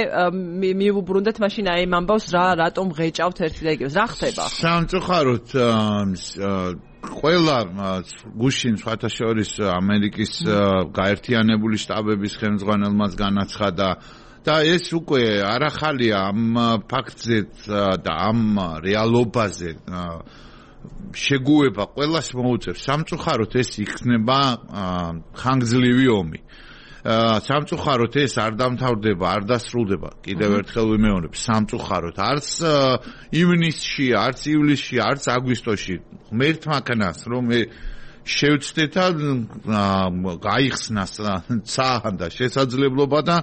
მივუბრუნდეთ მაშინ აი ამ ამბავს რატომ ღეჭავთ ერთი და იგივეს. რა ხდება? სამწუხაროდ ყველა გუშინ სხვათა შორის ამერიკის გაერთიანებული შტაბების ხელმძღვანელმაც განაცხადა და ეს უკვე არ ახალია ამ ფაქტზე და ამ რეალობაზე შეგუება ყველას მოუწევს. სამწუხაროდ ეს იქნება ხანგრძლივი ომი. სამწუხაროდ ეს არ დამთავრდება, არ დასრულდება. კიდევ ერთხელ ვიმეორებ, სამწუხაროდ არც ივნისში, არც ივლისში, არც აგვისტოში ღმერთმა ქნას რომ შევცდეთ და გაიხსნას ცაან და შესაძლებლობა და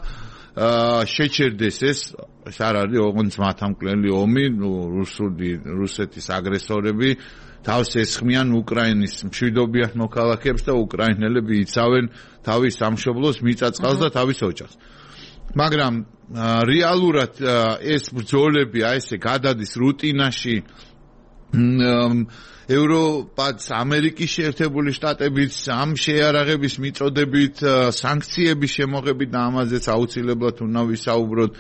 შეჩერდეს ეს არ არის ოღონდ მათამკვლელი ომი, რუსეთის აგრესორები თავს ესხმიან უკრაინის მშვიდობიან მოქალაქეებს და უკრაინელები იცავენ თავის სამშობლოს მიწაწყალს და თავის ოჯახს. მაგრამ რეალურად ეს ბრძოლები აი ესე გადადის რუტინაში ევროპაც, ამერიკის შეერთებული შტატებიც ამ შეიარაღების მიწოდებით, სანქციების შემოღებით და ამაზეც აუცილებლად უნდა ვისაუბროთ.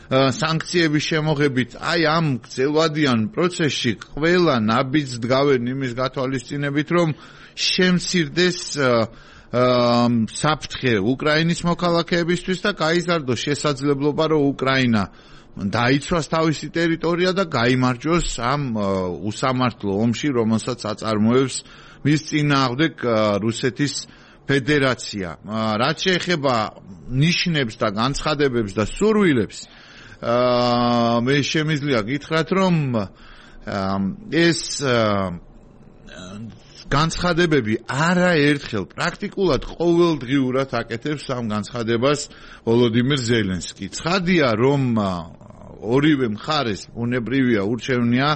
სანქციების შემოღებით, აი ამ გრძელვადიან პროცესში ყველა ნაბიჯს დგავენ იმის გათვალისწინებით, რომ შემცირდეს საფრთხე უკრაინის მოქალაქეებისთვის და გაიზარდოს შესაძლებლობა, რომ უკრაინა დაიცვას თავისი ტერიტორია და გაიმარჯვოს ამ უსამართლო ომში, რომელსაც აწარმოებს მის წინააღმდეგ რუსეთის ფედერაცია. რაც შეეხება ნიშნებს და განცხადებებს და სურვილებს, მე შემიძლია გითხრათ, რომ ეს განცხადებები არაერთხელ პრაქტიკულად ყოველდღიურად აკეთებს ამ განცხადებას ვოლოდიმირ ზელენსკი. ცხადია, რომ ორივე მხარეს უნებრივია, ურჩევნია,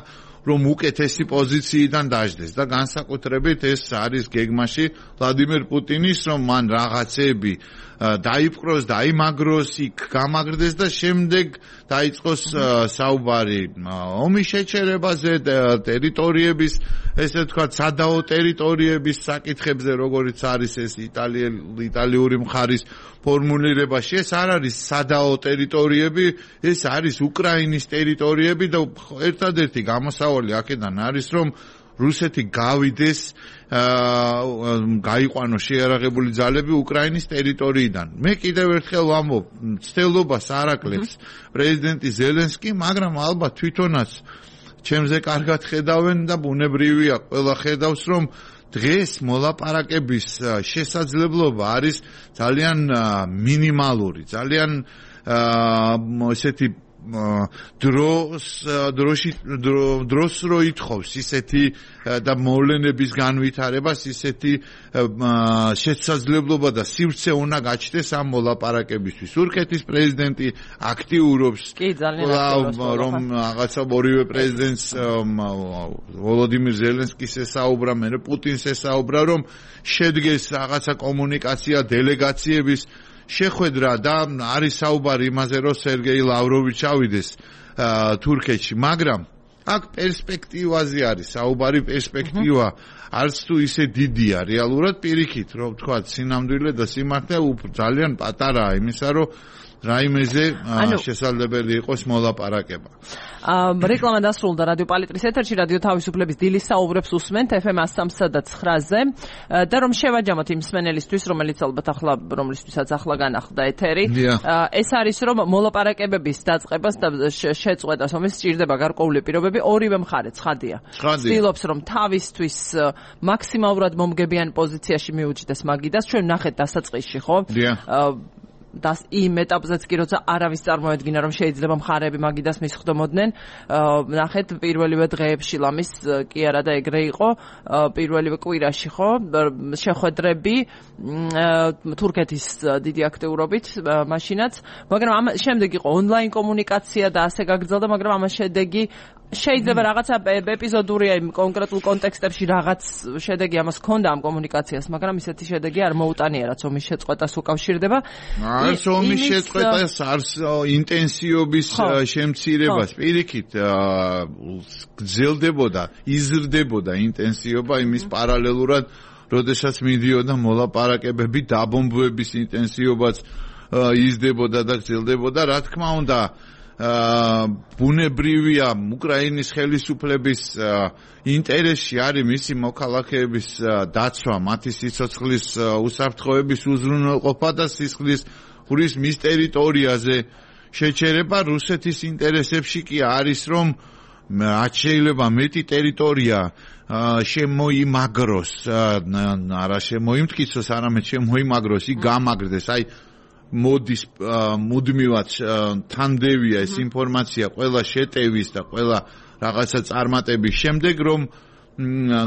რომ უკეთესი პოზიციიდან დაждდეს და განსაკუთრებით ეს არის გეგმაში ვლადიმერ პუტინის, რომ მან რაღაცები დაიპყროს, დაიმაგროს, იქ გამაგრდეს და შემდეგ დაიწყოს საუბარი ომის შეჩერებაზე, ტერიტორიების, ესე ვთქვათ, სადაო ტერიტორიების საკითხებზე, როგორიც არის ეს იტალიური მხარის ფორმულირებაში. ეს არ არის სადაო ტერიტორიები, ეს არის უკრაინის ტერიტორიები და ერთადერთი გამოსავალი აქედან არის, რომ რუსეთი გავიდეს, გაიყვანოს შეიარაღებული ძალები უკრაინის ტერიტორიიდან. მე კიდევ ერთხელ ვამბობ, მცდელობას არ აკლებს პრეზიდენტი ზელენსკი, მაგრამ ალბათ თვითონაც ჩემზე კარგად ხედავენ და ბუნებრივია ყველა ხედავს რომ დღეს მოლაპარაკების შესაძლებლობა არის ძალიან მინიმალური, ძალიან ესეთი დროს რო ითხოვს ისეთი და მოვლენების განვითარებას ისეთი შესაძლებლობა და სივრცე უნდა გაჩნდეს ამ მოლაპარაკებისთვის. თურქეთის პრეზიდენტი აქტიურობს, რომ რაღაცა ორივე პრეზიდენტს ვოლოდიმირ ზელენსკის ესაუბრა, მერე პუტინს ესაუბრა, რომ შედგეს რაღაცა კომუნიკაცია დელეგაციების შეხვედრა და არის საუბარი იმაზე, რომ სერგეი ლავროვი ჩავიდეს თურქეთში, მაგრამ აქ პერსპექტივაზე არის საუბარი, პერსპექტივა არც თუ ისე დიდია რეალურად პირიქით, რომ თქვა სინამდვილე და სიმართლე ძალიან პატარაა იმისა, რომ რაიმეზე შესაძლებელი იყოს მოლაპარაკება. რეკლამა დასრულდა რადიო პალიტრის ეთერში, რადიო თავისუფლების დილის საუბრებს უსმენთ FM 103.9-ზე და რომ შევაჯამოთ იმ მსმენელისთვის, რომლისთვისაც ახლა განახლდა ეთერი. ეს არის რომ მოლაპარაკებების დაწყებას და შეწყვეტას ომის სჭირდება გარკვეული პირობები, ორივე მხარე ცხადია. ცდილობს რომ თავისთვის მაქსიმალურად მომგებიან პოზიციაში მიუჯდეს მაგიდას, ჩვენ ვნახეთ დასაწყისში, ხო? და იმ ეტაპზეც კი როცა არავის წარმოედგინა რომ შეიძლება მხარეები მაგიდას მისხდომოდნენ, ნახეთ პირველივე დღეებში ლამის კი არა და ეგრე იყო, პირველივე კვირაში ხო შეხვედრები თურქეთის დიდი აქტიურობით მაშინაც, მაგრამ ამ შემდეგ იყო ონლაინ კომუნიკაცია და ასე გაგრძელდა, მაგრამ ამას შედეგი შეიძლება რაღაცა ეპიზოდურია იმ კონკრეტულ კონტექსტებში რაღაც შედეგი ამას ჰქონდა ამ კომუნიკაციას, მაგრამ ისეთი შედეგი არ მოუტანია, რაც ომის შეწყვეტას უკავშირდება. არც ომის შეწყვეტას, არც ინტენსივობის შემცირებას. პირიქით გრძელდებოდა, იზრდებოდა ინტენსივობა იმის პარალელურად, როდესაც მიდიოდა მოლაპარაკებები, დაბომბვების ინტენსივობაც იზრდებოდა და გრძელდებოდა, რა თქმა უნდა. ბუნებრივია უკრაინის ხელისუფლების ინტერესში არის მისი მოქალაქეების დაცვა, მათი სიცოცხლის უსაფრთხოების უზრუნველყოფა და სისხლის ხურის მის ტერიტორიაზე შეჩერება. რუსეთის ინტერესებში კი არის რომ რაც შეიძლება მეტი ტერიტორია შემოიმაგროს, არა შემოიმტკიცოს, არამედ შემოიმაგროს, იქ გამაგრდეს, აი მოდის მუდმივად თანდევია ეს ინფორმაცია ყველა შეტევის და ყველა რაღაცა წარმატების შემდეგ, რომ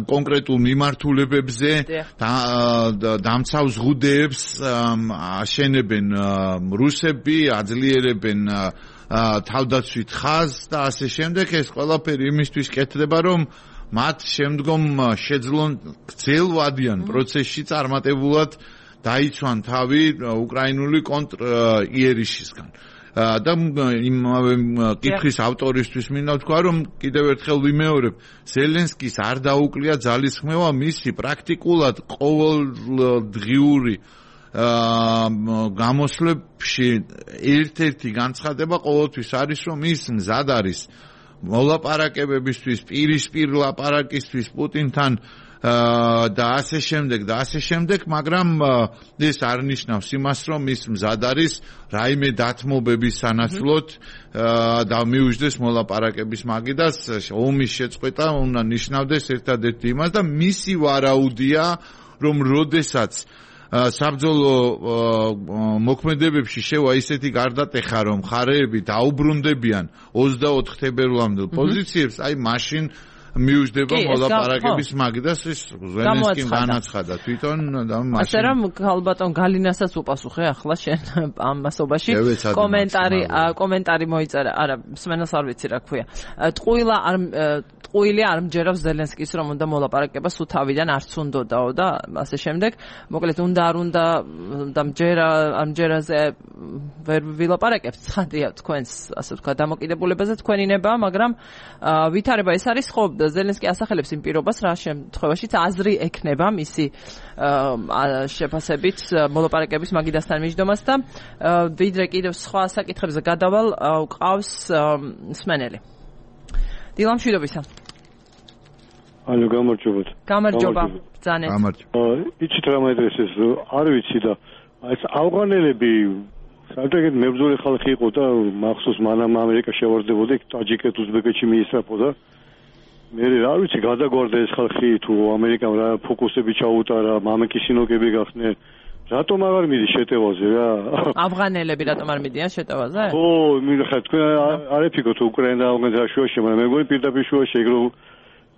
კონკრეტულ მიმართულებებზე დამცავ ზღუდეებს აშენებენ რუსები, აძლიერებენ თავდაცვით ხაზს და ასე შემდეგ. ეს ყველაფერი იმისთვის კეთდება, რომ მათ შემდგომ შეძლონ გრძელვადიან პროცესში წარმატებულად დაიცვან თავი უკრაინული კონტრ-იერიშისგან. და იმავე კითხვის ავტორისთვის მინდა ვთქვა, რომ კიდევ ერთხელ ვიმეორებ, ზელენსკის არ დაუკლია ძალისხმევა მისი პრაქტიკულად ყოველდღიური გამოსვლებში ერთ-ერთი განცხადება ყოველთვის არის, რომ ის მზად არის მოლაპარაკებებისთვის, პირისპირ ლაპარაკისთვის პუტინთან და ასე შემდეგ, მაგრამ ეს არ ნიშნავს იმას, რომ ის მზად არის რაიმე დათმობების სანაცვლოდ და მიუჯდეს მოლაპარაკების მაგიდას. ომის შეწყვეტა უნდა ნიშნავდეს ერთადერთი იმას და მისი ვარაუდია, რომ როდესაც საბრძოლო მოქმედებებში შევა ისეთი გარდატეხა, რომ მხარეები დაუბრუნდებიან 24 თებერვლამდელ პოზიციებს, აი მაშინ მიუჯდება მოლაპარაკების მაგიდას. ეს ზელენსკიმ განაცხადა თვითონ და მაშინ ასე რომ ალბათ გალინასაც უპასუხე ახლა შენ ამ მასობაში კომენტარი მოიწერა, არა მსმენელს არ ვიცი რა ქვია, ტყუილი არ მჯერავს ზელენსკის რომ უნდა მოლაპარაკება სულ თავიდან არც უნდაო და ასე შემდეგ. მოკლედ უნდა არ უნდა და მჯერაზე ვერ ვილაპარაკებთ, ცხადია თქვენს ასე ვთქვა დამოკიდებულებაზე თქვენი ნება, მაგრამ ვითარება ეს არის ხო ზელენსკი ასახელებს იმ პირობას, რა შემთხვევაშიც აზრი ექნება მისი შეფასებით მოლაპარაკების მაგიდასთან მიჯდომას და ვიდრე კიდევ სხვა საკითხებზე გადავალ, ყავს მსმენელი. დილა მშვიდობისა. ალო, გამარჯობათ. გამარჯობა. ბრძანეთ. იცით რა მაინტერესებს, არ ვიცი და ეს ავღანელები საერთოდ მებრძოლი ხალხი იყო და მახსოვს მანამ ამერიკა შევარდებოდა, ტაჯიკეთ, უზბეკეთში მიისწრაფოდა. მე რა ვიცი გადაგვარდა ეს ხალხი თუ ამერიკამ რა ფოკუსები ჩაუტარა მამაკისინოკები გახდნენ რატომ აღარ მიდის შეტევაზე რა ავღანელები რატომ არ მიდიან შეტევაზე ხო მიხარ თქვენ არ აფიქროთ უკრაინა და ავღანეთის შუაში მაგრამ მე მგონი პირდაპირ შუაში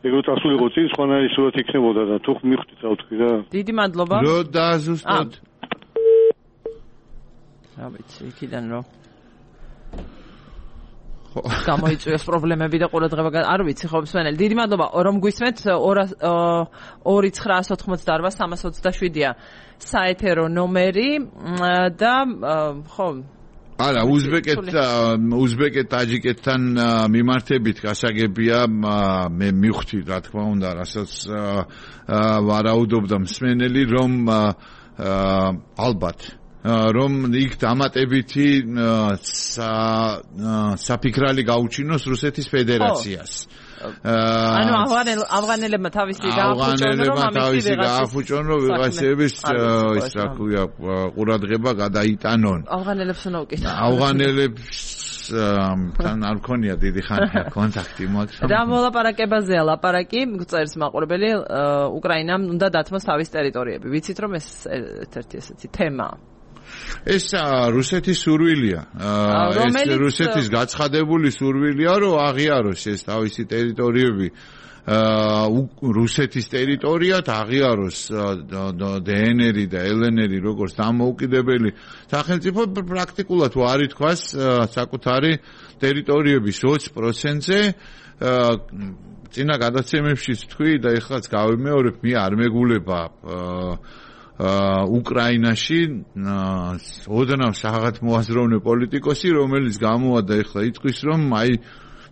ეგრო წასულიყო წინ სხვანაირი სურათ იქნებოდა და თუ მიხვდით რა ვთქვი რა დიდი მადლობა რო დააზუსტოთ რა ვიცი იქიდან რო გამოიწვიოს პრობლემები და ყურადღება არ ვიცი ხო მსმენელი დიდი მადლობა რომ გვისმენთ 2-988-327-ია საეთერო ნომერი და ხო არა უზბეკეთ ტაჯიკეთთან მიმართებით გასაგებია მე მივხვდი რა თქმა უნდა რასაც ვარაუდობდა მსმენელი რომ ალბათ რომ იქ დამატებითი საფიქრალი გაუჩინოს რუსეთის ფედერაციას. ანუ ავღანელებმა თავისი გააფუჭონ რომ ვიღაცების ის რა ქვია ყურადღება გადაიტანონ. ავღანელებს უნდა უკითხო. ავღანელებს თან არ მქონია დიდი ხანია კონტაქტი მაგრამ რა მოლაპარაკებაზეა ლაპარაკი წერს მაყურებელი უკრაინამ უნდა დათმოს თავის ტერიტორიები. ვიცით რომ ეს ერთ-ერთი ესეთი თემაა. ეს რუსეთის სურვილია. ეს რუსეთის გაცხადებული სურვილია, რომ აღიაროს ეს თავისი ტერიტორიები რუსეთის ტერიტორიად, აღიაროს დნr და lnr როგორც დამოუკიდებელი სახელმწიფო პრაქტიკულად არ ითქვას საკუთარი ტერიტორიების 20%-ზე წინა გადაცემებშიც თქვი და ეხლაც გავიმეორებ, მე არ მეგულება უკრაინაში ოდნავ საღათ მოაზროვნე პოლიტიკოსი რომელიც გამოვადა ეხლა იტყვის რომ აი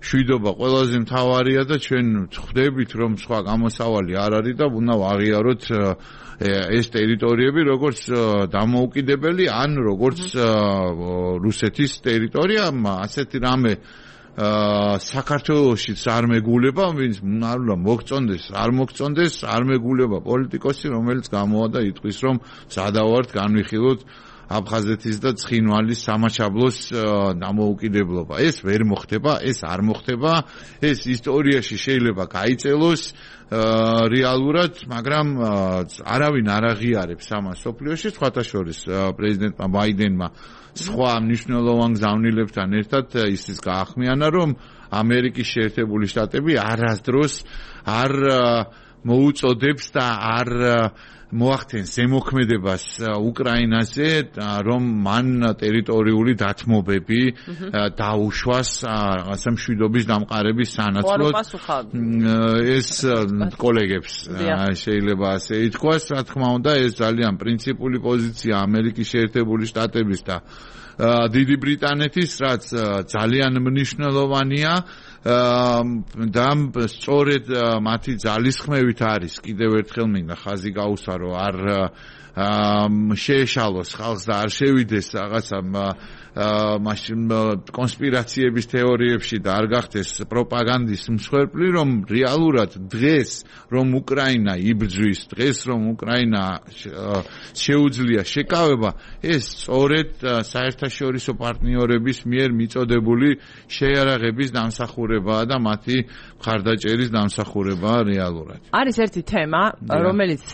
შვიდობა ყველაზე მთავარია და ჩვენ ვხვდებით რომ სხვა გამოსავალი არ არის და უნდა ვაღიაროთ ეს ტერიტორიები როგორც დამოუკიდებელი ან როგორც რუსეთის ტერიტორია ასეთი რამე საქართველოშიც არ მეგულება, ვინც არ უნდა მოგწონდეს, არ მეგულება პოლიტიკოსი, რომელიც გამოვადა იტყვის, რომ სადავართ განვიხილოთ აფხაზეთის და ცხინვალის სამაჩაბლოს დამოუკიდებლობა. ეს ვერ მოხდება, ეს არ მოხდება, ეს ისტორიაში შეიძლება გაიწელოს რეალურად, მაგრამ არავინ არ აღიარებს ამას სოფლიოში, სხვათა შორის პრეზიდენტმა ბაიდენმა სხვა მნიშვნელოვან გზავნილებთან ერთად ისიც გაახმიანა, რომ ამერიკის შეერთებული შტატები არასდროს არ მოუწოდებს და არ მოახდენს ზემოქმედებას უკრაინაზე, რომ მან ტერიტორიული დათმობები დაუშვას რაღაცა მშვიდობის დამყარების სანაცვლოდ. ეს კოლეგებს შეიძლება ასე ითქვას, რა თქმა უნდა, ეს ძალიან პრინციპული პოზიცია ამერიკის შეერთებული შტატების და დიდი ბრიტანეთის, რაც ძალიან მნიშვნელოვანია და სწორედ მათი ძალისხმევით არის კიდევ ერთხელ მინდა ხაზი გაუსვარო არ შეეშალოს ხალხს და არ შევიდეს რაღაცა მაშინ კონსპირაციების თეორიებში და არ გახდეს პროპაგანდის მსხვერპლი რომ რეალურად დღეს რომ უკრაინა იბრძვის დღეს რომ უკრაინა შეუძლია შეკავება ეს სწორედ საერთაშორისო პარტნიორების მიერ მიწოდებული შეიარაღების დამსახურებაა და მათი მხარდაჭერის დამსახურებაა რეალურად არის ერთი თემა რომელიც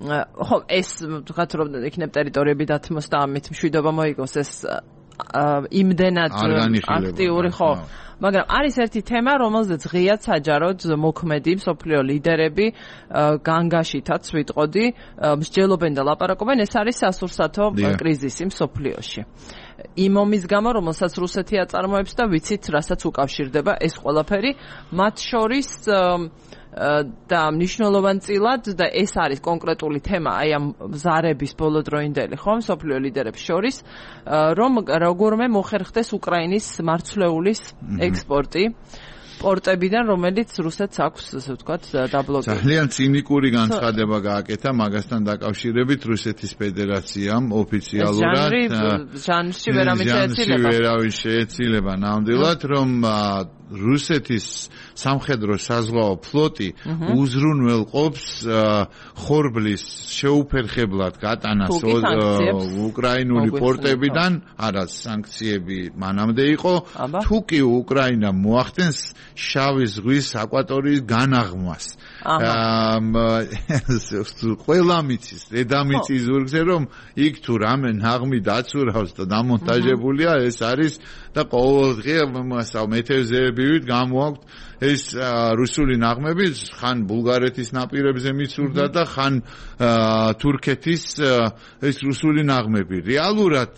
ხო ეს ვთქვათ რომ იქნებ ტერიტორიები დათმოს და ამით მშვიდობა მოიგოს ეს იმდენად აქტიური ხო მაგრამ არის ერთი თემა რომელზეც ღიად საჯაროდ მოქმედი მსოფლიო ლიდერები განგაშითაც ვიტყოდი მსჯელობენ და ლაპარაკობენ ეს არის სასურსათო კრიზისი მსოფლიოში იმ ომის გამო რომელსაც რუსეთი აწარმოებს და ვიცით რასაც უკავშირდება ეს ყველაფერი მათ შორის და მნიშვნელოვანწილად და ეს არის კონკრეტული თემა აი ამ ზარების ბოლოდროინდელი ხო მსოფლიო ლიდერებს შორის რომ როგორმე მოხერხდეს უკრაინის მარცვლეულის ექსპორტი პორტებიდან რომელიც რუსეთს აქვს ასე ვთქვათ დაბლოკირებული ძალიან ცინიკური განცხადება გააკეთა მაგასთან დაკავშირებით რუსეთის ფედერაციამ ოფიციალურად ჟანრში ვერავინ შეეცილება ნამდვილად რომ რუსეთის სამხედრო საზღვაო ფლოტი უზრუნველყოფს ხორბლის შეუფერხებლად გატანას უკრაინული პორტებიდან, არა სანქციები მანამდე იყო, თუ კი უკრაინა მოახდენს შავი ზღვის აკვატორიის განაღმვას. ყველა მიცის, დედამიწის ზურგზე რომ იქ თუ რამე ნაღმი დაცურავს და დამონტაჟებულია, ეს არის და ყოველდღე მეთევზეებივით გამოაქვთ ეს რუსული ნაღმები, ხან ბულგარეთის ნაპირებზე მიცურდა და ხან თურქეთის ეს რუსული ნაღმები. რეალურად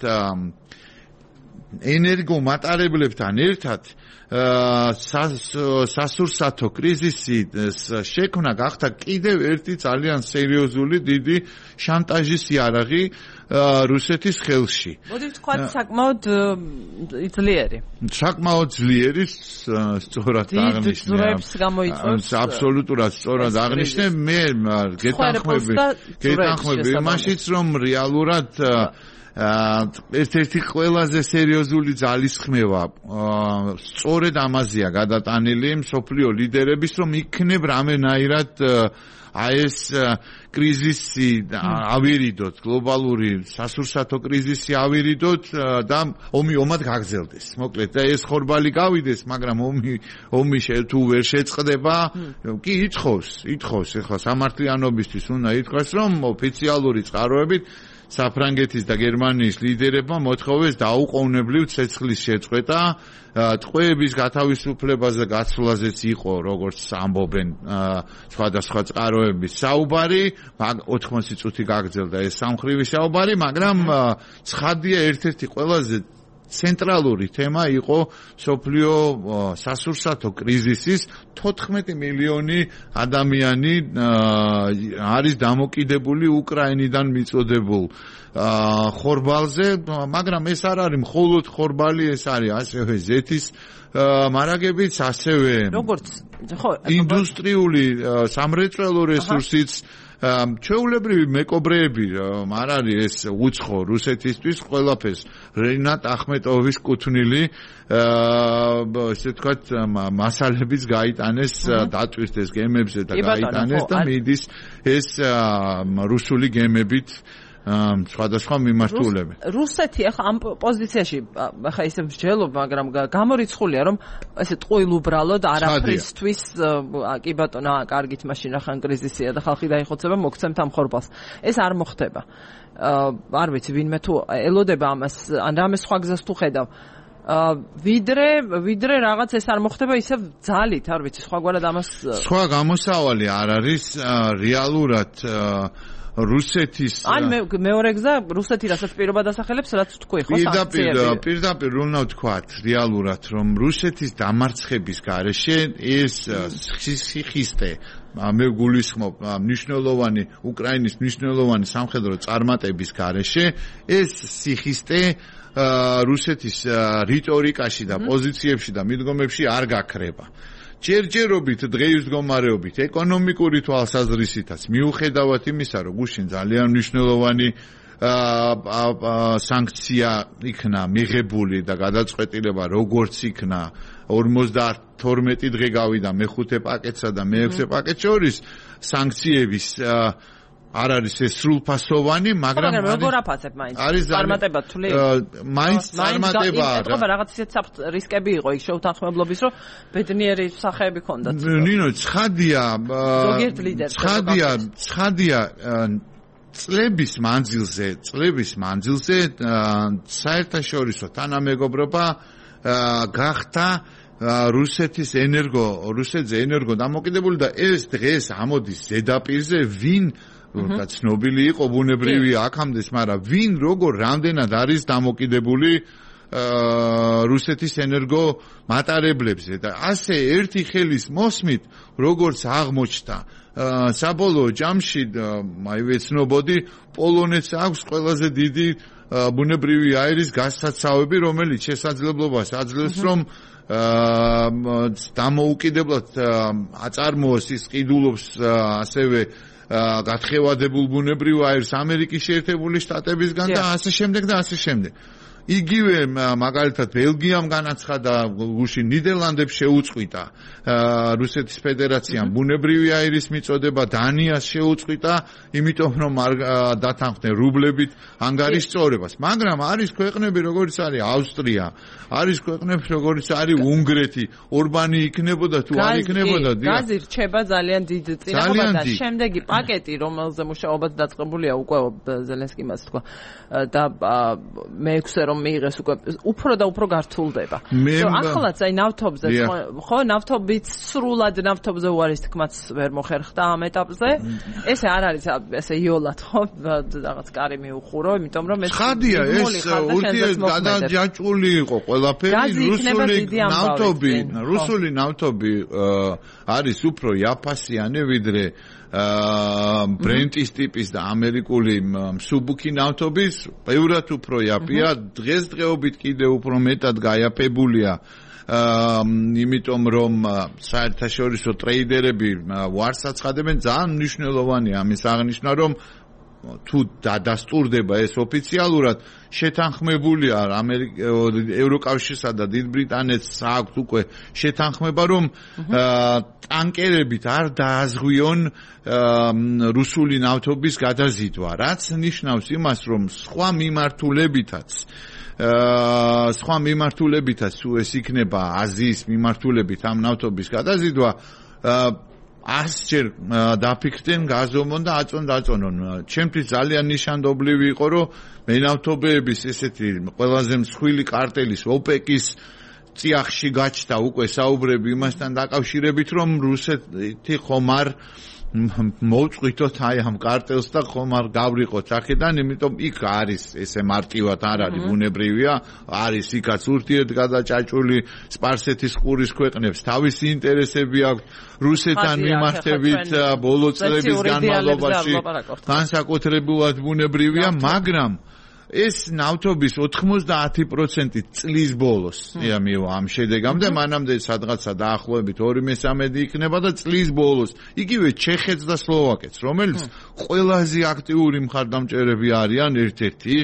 ენერგომატარებლებთან ერთად სასურსათო კრიზისის შექმნა გახდა კიდევ ერთი ძალიან სერიოზული დიდი შანტაჟის იარაღი რუსეთის ხელში. მოდი ვთქვათ საკმაოდ ძლიერი. საკმაოდ ძლიერი, სწორად აღნიშნე. აბსოლუტურად სწორად აღნიშნე. მე გეთანხმები იმაშიც, რომ რეალურად ერთ-ერთი ყველაზე სერიოზული ძალისხმევა სწორედ ამაზეა გადატანილი მსოფლიო ლიდერების, რომ იქნებ რამენაირად ეს კრიზისი ავირიდოთ, გლობალური სასურსათო კრიზისი ავირიდოთ და ომი ომად გაგრძელდეს. მოკლედ და ეს ხორბალი გავიდეს, მაგრამ ომი თუ ვერ შეწყდება, კი ითხოვს ახლა სამართლიანობისთვის უნდა ითქვას, რომ ოფიციალური წყაროებით საფრანგეთის და გერმანიის ლიდერებმა მოთხოვეს დაუყოვნებლივ ცეცხლის შეწყვეტა, ტყვეების გათავისუფლებაზე გაცვლაზეც იყო, როგორც ამბობენ სხვადასხვა წყაროების საუბარი, 80 წუთი გაგრძელდა ეს სამხრივი საუბარი, მაგრამ ცხადია ერთ-ერთი ყველაზე ცენტრალური თემა იყო სოფლიო სასურსათო კრიზისის 14 მილიონი ადამიანი არის დამოკიდებული უკრაინიდან მიწოდებულ ხორბალზე, მაგრამ ეს არ არის მხოლოდ ხორბალი, ეს არის ასევე ზეთის მარაგებიც, ასევე როგორც ხო ინდუსტრიული სამრეწველო რესურსიც ჩვეულებრივი მეკობრეები არ არის ეს უცხო რუსეთისთვის ყველაფერს რენატ ახმეტოვის კუთვნილი ესე ვთქვათ მასალებიც გაიტანეს დატვირთეს გემებზე და გაიტანეს და მიდის ეს რუსული გემებით სხვადასხვა მიმართულებით. რუსეთი ახლა ამ პოზიციაში ახლა ისე მსჯელობ, მაგრამ გამორიცხულია რომ ესე ტყუილ უბრალოდ არაფრისთვის კი ბატონო, კარგით მაშინ ახან კრიზისია და ხალხი დაიხოცება მოგცემთ ამ ხორბალს. ეს არ მოხდება. არ ვიცი ვინმე თუ ელოდება ამას, ან რამე სხვა გზას თუ ხედავ. ვიდრე რაღაც ეს არ მოხდება ისევ ძალით, არ ვიცი, სხვაგვარად ამას სხვა გამოსავალი არ არის რეალურად რუსეთის ან მეორე გზა რუსეთი რასაც პირობა დასახელებს, რაც თქვი ხო სანქციები. პირდაპირ უნდა ვთქვათ რეალურად, რომ რუსეთის დამარცხების გარეშე ეს სიხისტე მე გულისხმობ მნიშვნელოვანი უკრაინის მნიშვნელოვანი სამხედრო წარმატების გარეშე ეს სიხისტე რუსეთის რიტორიკაში და პოზიციებში და მიდგომებში არ გაქრება. ჯერჯერობით დღეის მდგომარეობით ეკონომიკური თვალსაზრისითაც მიუხედავად იმისა, რომ გუშინ ძალიან მნიშვნელოვანი სანქცია იქნა მიღებული და გადაწყვეტილება როგორც იქნა 52 დღე გავიდა მე-5 პაკეტსა და მე-6 პაკეტს შორის სანქციების არ არის ეს სრულფასოვანი, მაგრამ როგორ აფასებ მაინც? წარმატება თვლი? მაინც წარმატება. ეთქობა რაღაც ისეთ რისკები იყო იქ შეუთანხმებლობის, რომ ბედნიერი სახეები ქონდათ. ნინო, ცხადია წლების მანძილზე საერთაშორისო თანამეგობრობა გახდა რუსეთზე ენერგო დამოკიდებული და ეს დღეს ამოდის ზედაპირზე ვინ ცნობილი იყო ბუნებრივია აქამდე, მაგრამ ვინ როგორ რამდენად არის დამოკიდებული რუსეთის ენერგო მატარებლებზე და ასე ერთი ხელის მოსმით როგორც აღმოჩნდა საბოლოო ჯამში აი ვეცნობოდი პოლონეთს აქვს ყველაზე დიდი ბუნებრივი აირის გასაცავები, რომელიც შესაძლებლობას აძლევს რომ დამოუკიდებლად აწარმოოს ის ყიდულობს ასევე გათხევადებულ ბუნებრივ აირს ამერიკის შეერთებული შტატებისგან და ასე შემდეგ და ასე შემდეგ. იგივე მაგალითად ბელგიამ განაცხადა გუში ნიდერლანდებს შეუწყვიტა რუსეთის ფედერაციამ ბუნებრივი აირის მიწოდება დანიას შეუწყვიტა იმიტომ რომ არ დათანხმდნენ რუბლებით ანგარის წორებას მაგრამ არის ქვეყნები როგორც არის ავსტრია არის ქვეყნები როგორც არის უნგრეთი ორბანი იქნებოდა თუ არ იქნებოდა გაზი რჩება ძალიან დიდ წინააღმდეგ და შემდეგი პაკეტი რომელზე მუშაობა დაწყებულია უკვე ზელენსკიმ მას თქვა და მე-6-ე რომ მიიღეს უკვე უფრო და უფრო გართულდება. ახლაც აი ნავთობზე ხო ნავთობით სრულად ნავთობზე უარის თქმაც ვერ მოხერხდა ამ ეტაპზე. ესე არ არის ესე იოლად ხო რაღაც კარი მიუხურო, იმიტომ რომ ეს ხადია ეს გადაჯაჭვული იყო ყველაფერი რუსული ნავთობი არის უფრო იაფასიანი ვიდრე ბრენტის ტიპის და ამერიკული მსუბუქი ნავთობის ბევრად უფრო იაფია დღესდღეობით კიდევ უფრო მეტად გაიაფებულია იმიტომ რომ საერთაშორისო ტრეიდერები ვარს აცხადებენ ძალიან მნიშვნელოვანია ამის აღნიშვნა რომ თუ დადასტურდება ეს ოფიციალურად შეთანხმებულია ევროკავშირსა და დიდ ბრიტანეთს აქვს უკვე შეთანხმება რომ ტანკერებით არ დააზღვიონ რუსული ნავთობის გადაზიდვა რაც ნიშნავს იმას რომ სხვა მიმართულებითაც თუ ეს იქნება აზიის მიმართულებით ამ ნავთობის გადაზიდვა 100-ჯერ დაფიქრდნენ გაზომონ და აწონონ. ჩემთვის ძალიან ნიშანდობლივი იყო, რომ მენავთობეების ესეთი ყველაზე მსხვილი კარტელის ოპეკის წიაღში გაჩნდა უკვე საუბრები იმასთან დაკავშირებით, რომ რუსეთი ხომ არ მოვწყვიტოთ აი ამ კარტელს და ხომ არ გავრიყოთ აქედან, იმიტომ იქ არის ესე მარტივად არ არის ბუნებრივია, არის იქაც ურთიერთგადაჭაჭული სპარსეთის ყურის ქვეყნებს თავისი ინტერესები აქვს რუსეთთან მიმართებით ბოლო წლების განმავლობაში განსაკუთრებულად ბუნებრივია, მაგრამ ეს ნავთობის 90% წლის ბოლოს ამ შედეგამდე მანამდე სადღაცა დაახლოებით 2/3 იქნება და წლის ბოლოს იგივე ჩეხეთს და სლოვაკეთს რომელიც ყველაზე აქტიური მხარდამჭერები არიან ერთ-ერთი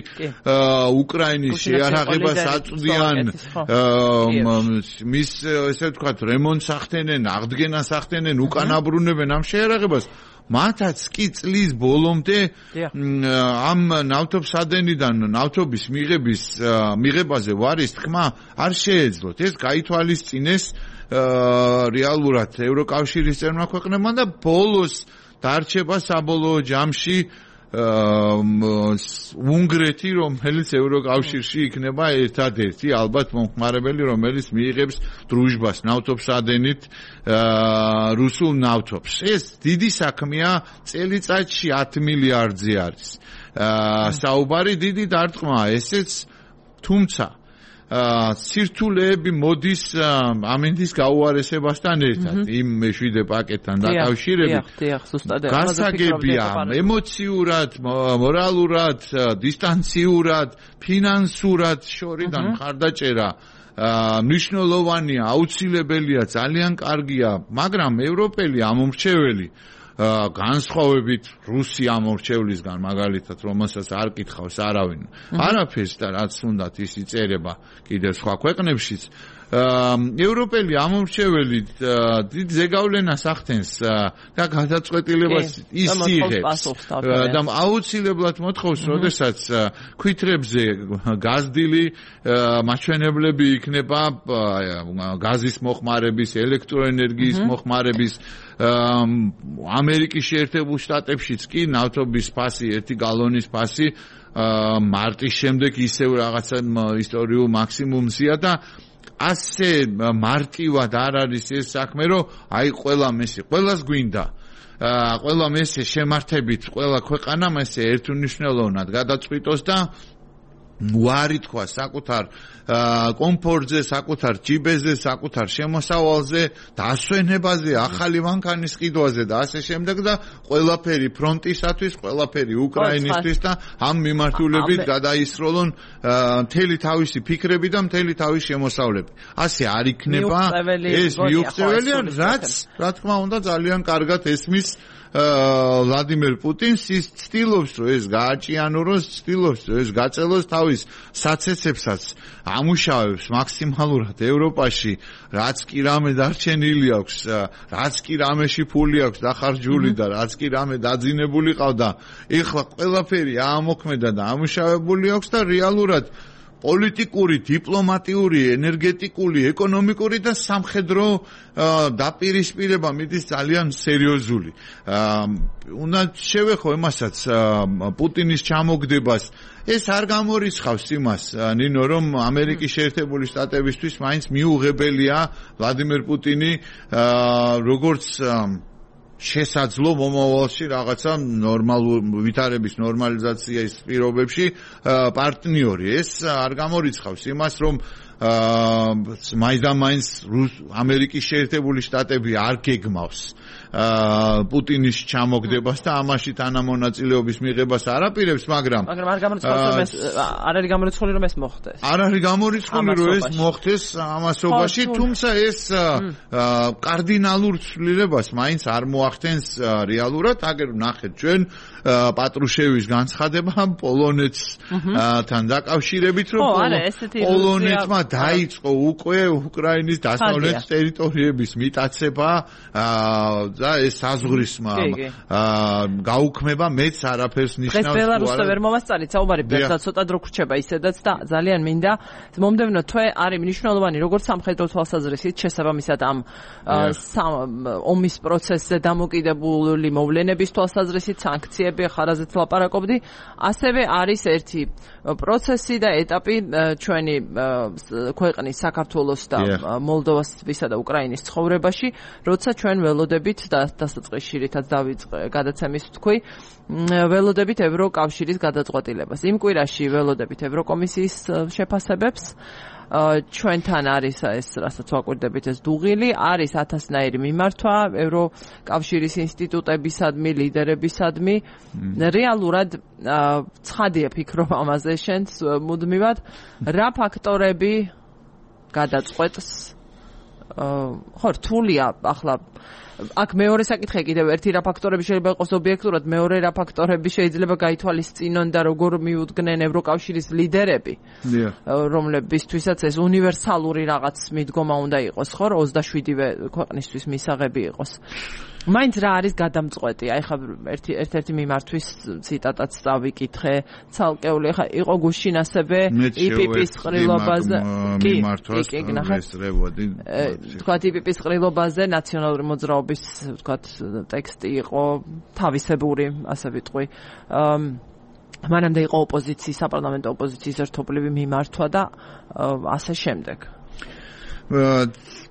უკრაინის შეარაღებას აწვდიან მის ესე ვთქვათ რემონტს ახდენენ აღდგენას ახდენენ უკანაბრუნებენ ამ შეარაღებას მათაც კი წლის ბოლომდე ამ ნავთობსადენიდან ნავთობის მიღებაზე ვარის თქმა არ შეეძლოთ. ეს გაითვალისწინეს რეალურად ევროკავშირის წევრმა ქვეყნებმა და ბოლოს დარჩება საბოლოო ჯამში უნგრეთი, რომელიც ევროკავშირში იქნება ერთადერთი ალბათ მომხმარებელი, რომელიც მიიღებს დრუჟბას ნავთობსადენით რუსულ ნავთობს. ეს დიდი საქმეა, წელიწადში 10 მილიარდზე არის. საუბარი დიდი დარტყმაა, ესეც თუმცა სირთულეები მოდის ამინდის გაუარესებასთან ერთად იმ მეშვიდე პაკეტთან დაკავშირებით გასაგებია ემოციურად, მორალურად, დისტანციურად, ფინანსურად შორიდან მხარდაჭერა მნიშვნელოვანია, აუცილებელია, ძალიან კარგია, მაგრამ ევროპელი ამომრჩეველი განსხვავებით რუსი ამორჩევლისგან მაგალითად რომელსაც არ კითხავს არავინ არაფერს და რაც უნდათ ის იწერება კიდევ სხვა ქვეყნებშიც ევროპელი ამორჩეველი დიდ ზეგავლენას ახდენს და გადაწყვეტილებას ისიღებს და აუცილებლად მოთხოვს როდესაც ქვითრებზე გაზდილი მაჩვენებლები იქნება გაზის მოხმარების ელექტროენერგიის მოხმარების ამერიკის შეერთებულ შტატებშიც კი ნავთობის ფასი 1 გალონის ფასი მარტის შემდეგ ისევ რაღაცა ისტორიულ მაქსიმუმზეა და ასე მარტივად არ არის ეს საქმე, რომ აი ყველას გვინდა ყველა მესე შემართებით ყველა ქვეყანამ ესე ერთუნიშნელოვნად გადაწყვიტოს და უარი თქვა საკუთარ კომფორტზე, საკუთარ ჯიბეზე, საკუთარ შემოსავალზე, დასვენებაზე, ახალი მანქანის ყიდვაზე და ასე შემდეგ და ყველაფერი ფრონტისათვის, ყველაფერი უკრაინისთვის და ამ მიმართულებით გადაისროლონ მთელი თავისი ფიქრები და მთელი თავისი შემოსავლები. ასე არ იქნება ეს მიუღწეველია, რაც რა თქმა უნდა ძალიან კარგად ესმის ვლადიმერ პუტინს ის ცდილობს რომ ეს გააჭიანუროს, ცდილობს რომ ეს გაწელოს თავის საცეცებსაც ამუშავებს მაქსიმალურად ევროპაში, რაც კი რამე დარჩენილი აქვს, რაც კი რამეში ფული აქვს დახარჯული და რაც კი რამე დაძინებული ყავდა, ეხლა ყველაფერი ამოქმედა და ამუშავებული აქვს და რეალურად პოლიტიკური, დიპლომატიური, ენერგეტიკული, ეკონომიკური და სამხედრო დაპირისპირება მიდის ძალიან სერიოზული. უნდა შევეხო იმასაც პუტინის ჩამოგდებას. ეს არ გამორიცხავს იმას, ნინო, რომ ამერიკის შეერთებული შტატებისთვის მაინც მიუღებელია ვლადიმერ პუტინი როგორც შესაძლო მომავალში რაღაცა ვითარების ნორმალიზაციის პირობებში პარტნიორი. ეს არ გამორიცხავს იმას, რომ მაინც ამერიკის შეერთებული შტატები არ გეგმავს პუტინის ჩამოგდებას და ამაში თანამონაწილეობის მიღებას არ აპირებს, მაგრამ არ გამორიცხავს, არ არის გამორიცხული რომ ეს მოხდეს. არ არის გამორიცხული რომ ეს მოხდეს ამასობაში, თუმცა ეს კარდინალურ ცვლილებას მაინც არ მოახდენს რეალურად. აგერ ნახეთ ჩვენ პატრუშევის განცხადება პოლონეთთან დაკავშირებით, რომ პოლონეთმა დაიწყო უკვე უკრაინის დასავლეთ ტერიტორიების მიტაცება და ეს საზღვრისმა გაუქმება მეც არაფერს ნიშნავს. დღეს ბელარუსზე ვერ მომასწარით საუბარი, და ცოტა დრო გრჩება ისედაც და ძალიან მინდა მომდევნო თვე არის მნიშვნელოვანი როგორც სამხედრო თვალსაზრისით შესაბამისად ამ ომის პროცესზე დამოკიდებული მოვლენების თვალსაზრისით სანქციები ხარაზეც ლაპარაკობდი, ასევე არის ერთი პროცესი და ეტაპი ჩვენი ქვეყნის საქართველოს და მოლდოვასა და უკრაინის ცხოვრებაში, როცა ჩვენ ველოდებით და დასაწყისში რითაც დავიწყე გადაცემის თქვი, ველოდებით ევროკავშირის გადაწყვეტილებას. იმ კვირაში ველოდებით ევროკომისიის შეფასებებს, ჩვენთან არის ეს, რასაც ვაკვირდებით, ეს დუღილი, არის 1000-ნაირი მიმართვა ევროკავშირის ინსტიტუტებისადმი, ლიდერებისადმი. რეალურად ცხადია ფიქრობ ამაზე შენს მუდმივად, რა ფაქტორები გადაწყვეტს ხო რთულია ახლა აქ მეორე საკითხი კიდევ ერთი რა ფაქტორები შეიძლება იყოს ობიექტურად, მეორე რა ფაქტორები შეიძლება გაითვალისწინონ და როგორ მიუდგნენ ევროკავშირის ლიდერები, რომლებისთვისაც ეს უნივერსალური რაღაც მიდგომა უნდა იყოს, ხო, 27-ვე ქვეყნისთვის მისაღები იყოს. მაინც რა არის გადამწყვეტი? აი ხა ერთ-ერთი მიმართვის ციტატაც წავიკითხე, ცალკეული ხა იყო გუშინ ასევე IPP-ის ყრილობაზე, კი, ესრევოდი. თქვა IPP-ის ყრილობაზე ნაციონალური მოძრაობის, თქვა ტექსტი იყო თავისებური, ასე ვიტყვი. მანამდე იყო ოპოზიციის, საპარლამენტო ოპოზიციის ერთობლივი მიმართვა და ასე შემდეგ.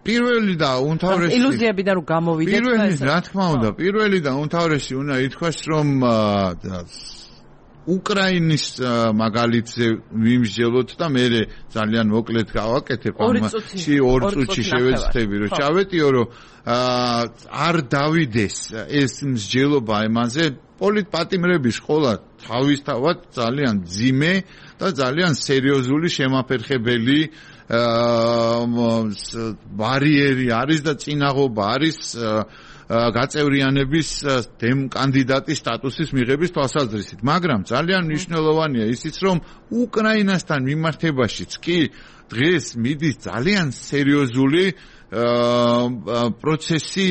პირველი და უმთავრესი ილუზიებიდან რომ გამოვიდეთ პირველი რა თქმა უნდა პირველი და უმთავრესი უნდა ითქვას რომ უკრაინის მაგალითზე ვიმსჯელოთ და მე ძალიან მოკლედ გავაკეთებ ამაში 2 წუთში შევეცდები რომ ჩავეტიო რომ არ დავიდეს ეს მსჯელობა იმაზე პოლიტპატიმრების ყოლა თავისთავად ძალიან ძიმე და ძალიან სერიოზული შემაფერხებელი ბარიერი არის და წინაღობა არის გაწევრიანების კანდიდატის სტატუსის მიღების თვალსაზრისით, მაგრამ ძალიან მნიშვნელოვანია ისიც, რომ უკრაინასთან მიმართებაშიც კი დღეს მიდის ძალიან სერიოზული პროცესი,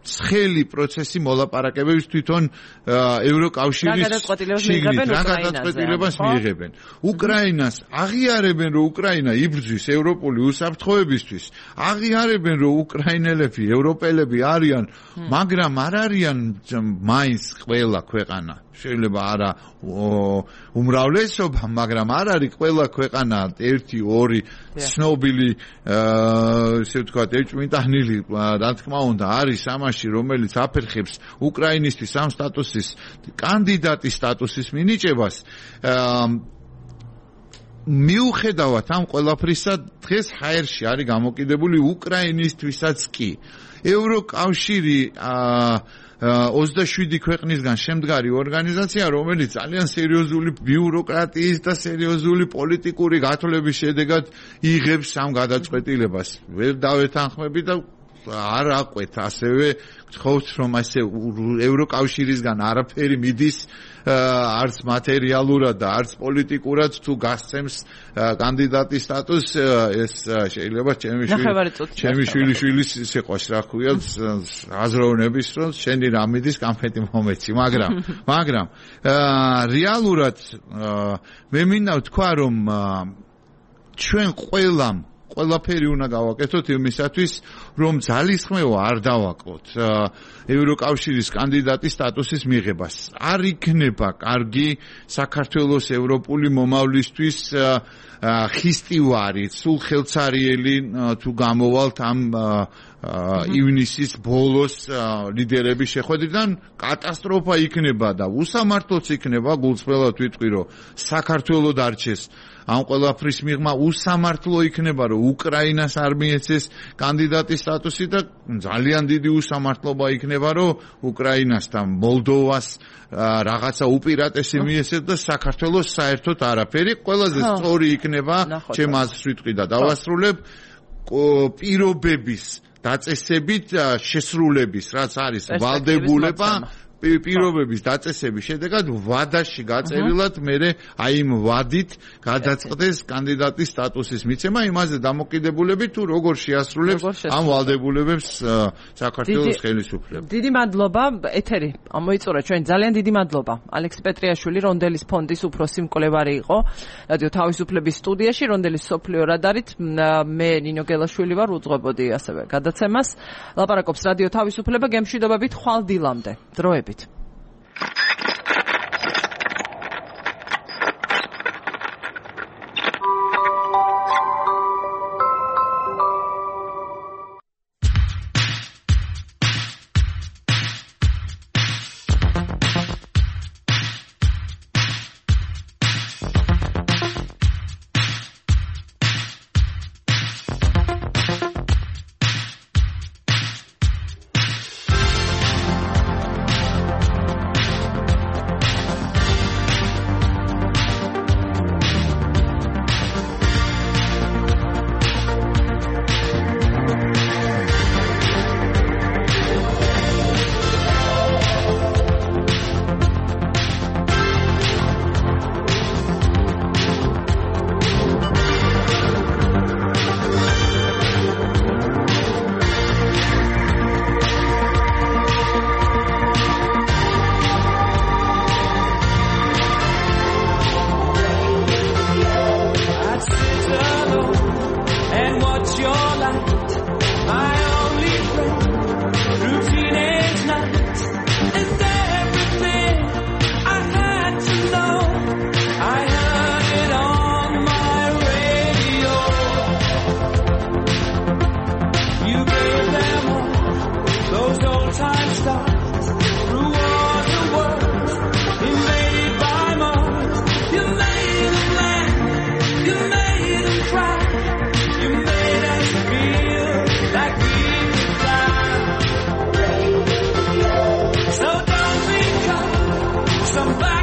ცხელი პროცესი მოლაპარაკებების თვითონ ევროკავშირის გადაწყვეტილებას მიიღებენ. უკრაინას აღიარებენ, რომ უკრაინა იბრძვის ევროპული უსაფრთხოებისთვის, აღიარებენ, რომ უკრაინელები, ევროპელები არიან, მაგრამ არ არიან მაინც ყველა ქვეყანა. შეიძლება არა უმრავლესობა, მაგრამ არ არის ყველა ქვეყანა 1-2 ცნობილი ესე ვთქვათ ეჭვმიტანილი, რა თქმა უნდა, არის ამაში, რომელიც აფერხებს უკრაინისთვის ამ სტატუსის კანდიდატის სტატუსის მინიჭებას. მიუხედავად ამ ყველაფრისა, დღეს ჰაერში არის გამოკიდებული უკრაინისთვისაც კი. ევროკავშირი 27 ქვეყნისგან შემდგარი ორგანიზაცია, რომელიც ძალიან სერიოზული ბიუროკრატიის და სერიოზული პოლიტიკური გათვლების შედეგად იღებს ამ გადაწყვეტილებას. ვერ დავეთანხმები და არ აყვეთ ასევე გთხოვთ რომ ასე ევროკავშირისგან არაფერი მიდის არც მატერიალურად და არც πολιτიკურად თუ გასცემს კანდიდატის სტატუსს ეს შეიძლება ჩემი შვილიშვილის სიყვარს რა ქვია აზროვნების რომ შენი რა მიდის კამფეტი მომეცი მაგრამ რეალურად მე მინდა ვთქვა რომ ჩვენ ყველაფერი უნდა გავაკეთოთ იმისათვის რომ ძალისხმევა არ დავაკლოთ ევროკავშირის კანდიდატის სტატუსის მიღებას არ იქნება კარგი საქართველოს ევროპული მომავლისთვის ხისტივარი სულ ხელცარიელი თუ გამოვალთ ამ ივნისის ბოლოს ლიდერების შეხვედრიდან კატასტროფა იქნება და უსამართლოც იქნება გულწრფელად ვიტყვი რომ საქართველოს დარჩეს ამ ყველაფრის მიღმა უსამართლო იქნება რომ უკრაინას არ მიეცეს კანდიდატის სტატუსი და ძალიან დიდი უსამართლობა იქნება რომ უკრაინას და მოლდოვას რაღაცა უპირატესი მიეცეს და საქართველოს საერთოდ არაფერი ყველაზე სწორი იქნება ჩემ აზრს ვიტყვი და დავასრულებ პირობების დაწესებით შესრულების რაც არის ვალდებულება პირობების დაწესების შედეგად ვადაში გაწერილად მე აი იმ ვადით გადაწყდეს კანდიდატის სტატუსის მიცემა იმაზე დამოკიდებულებით თუ როგორ შეასრულებს ამ ვალდებულებებს საქართველოს ხელისუფლება. დიდი მადლობა ეთერი ამოიწურა ჩვენ ძალიან დიდი მადლობა ალექს პეტრიაშვილი რონდელის ფონდის უფროსი მკვლევარი იყო რადიო თავისუფლების სტუდიაში რონდელის სოფლიო რადარით მე ნინო გელაშვილი ვარ უძღვებოდი ასევე გადაცემას ლაპარაკობს რადიო თავისუფლება გემშვიდობებით ხვალ დილამდე დროებით Somebody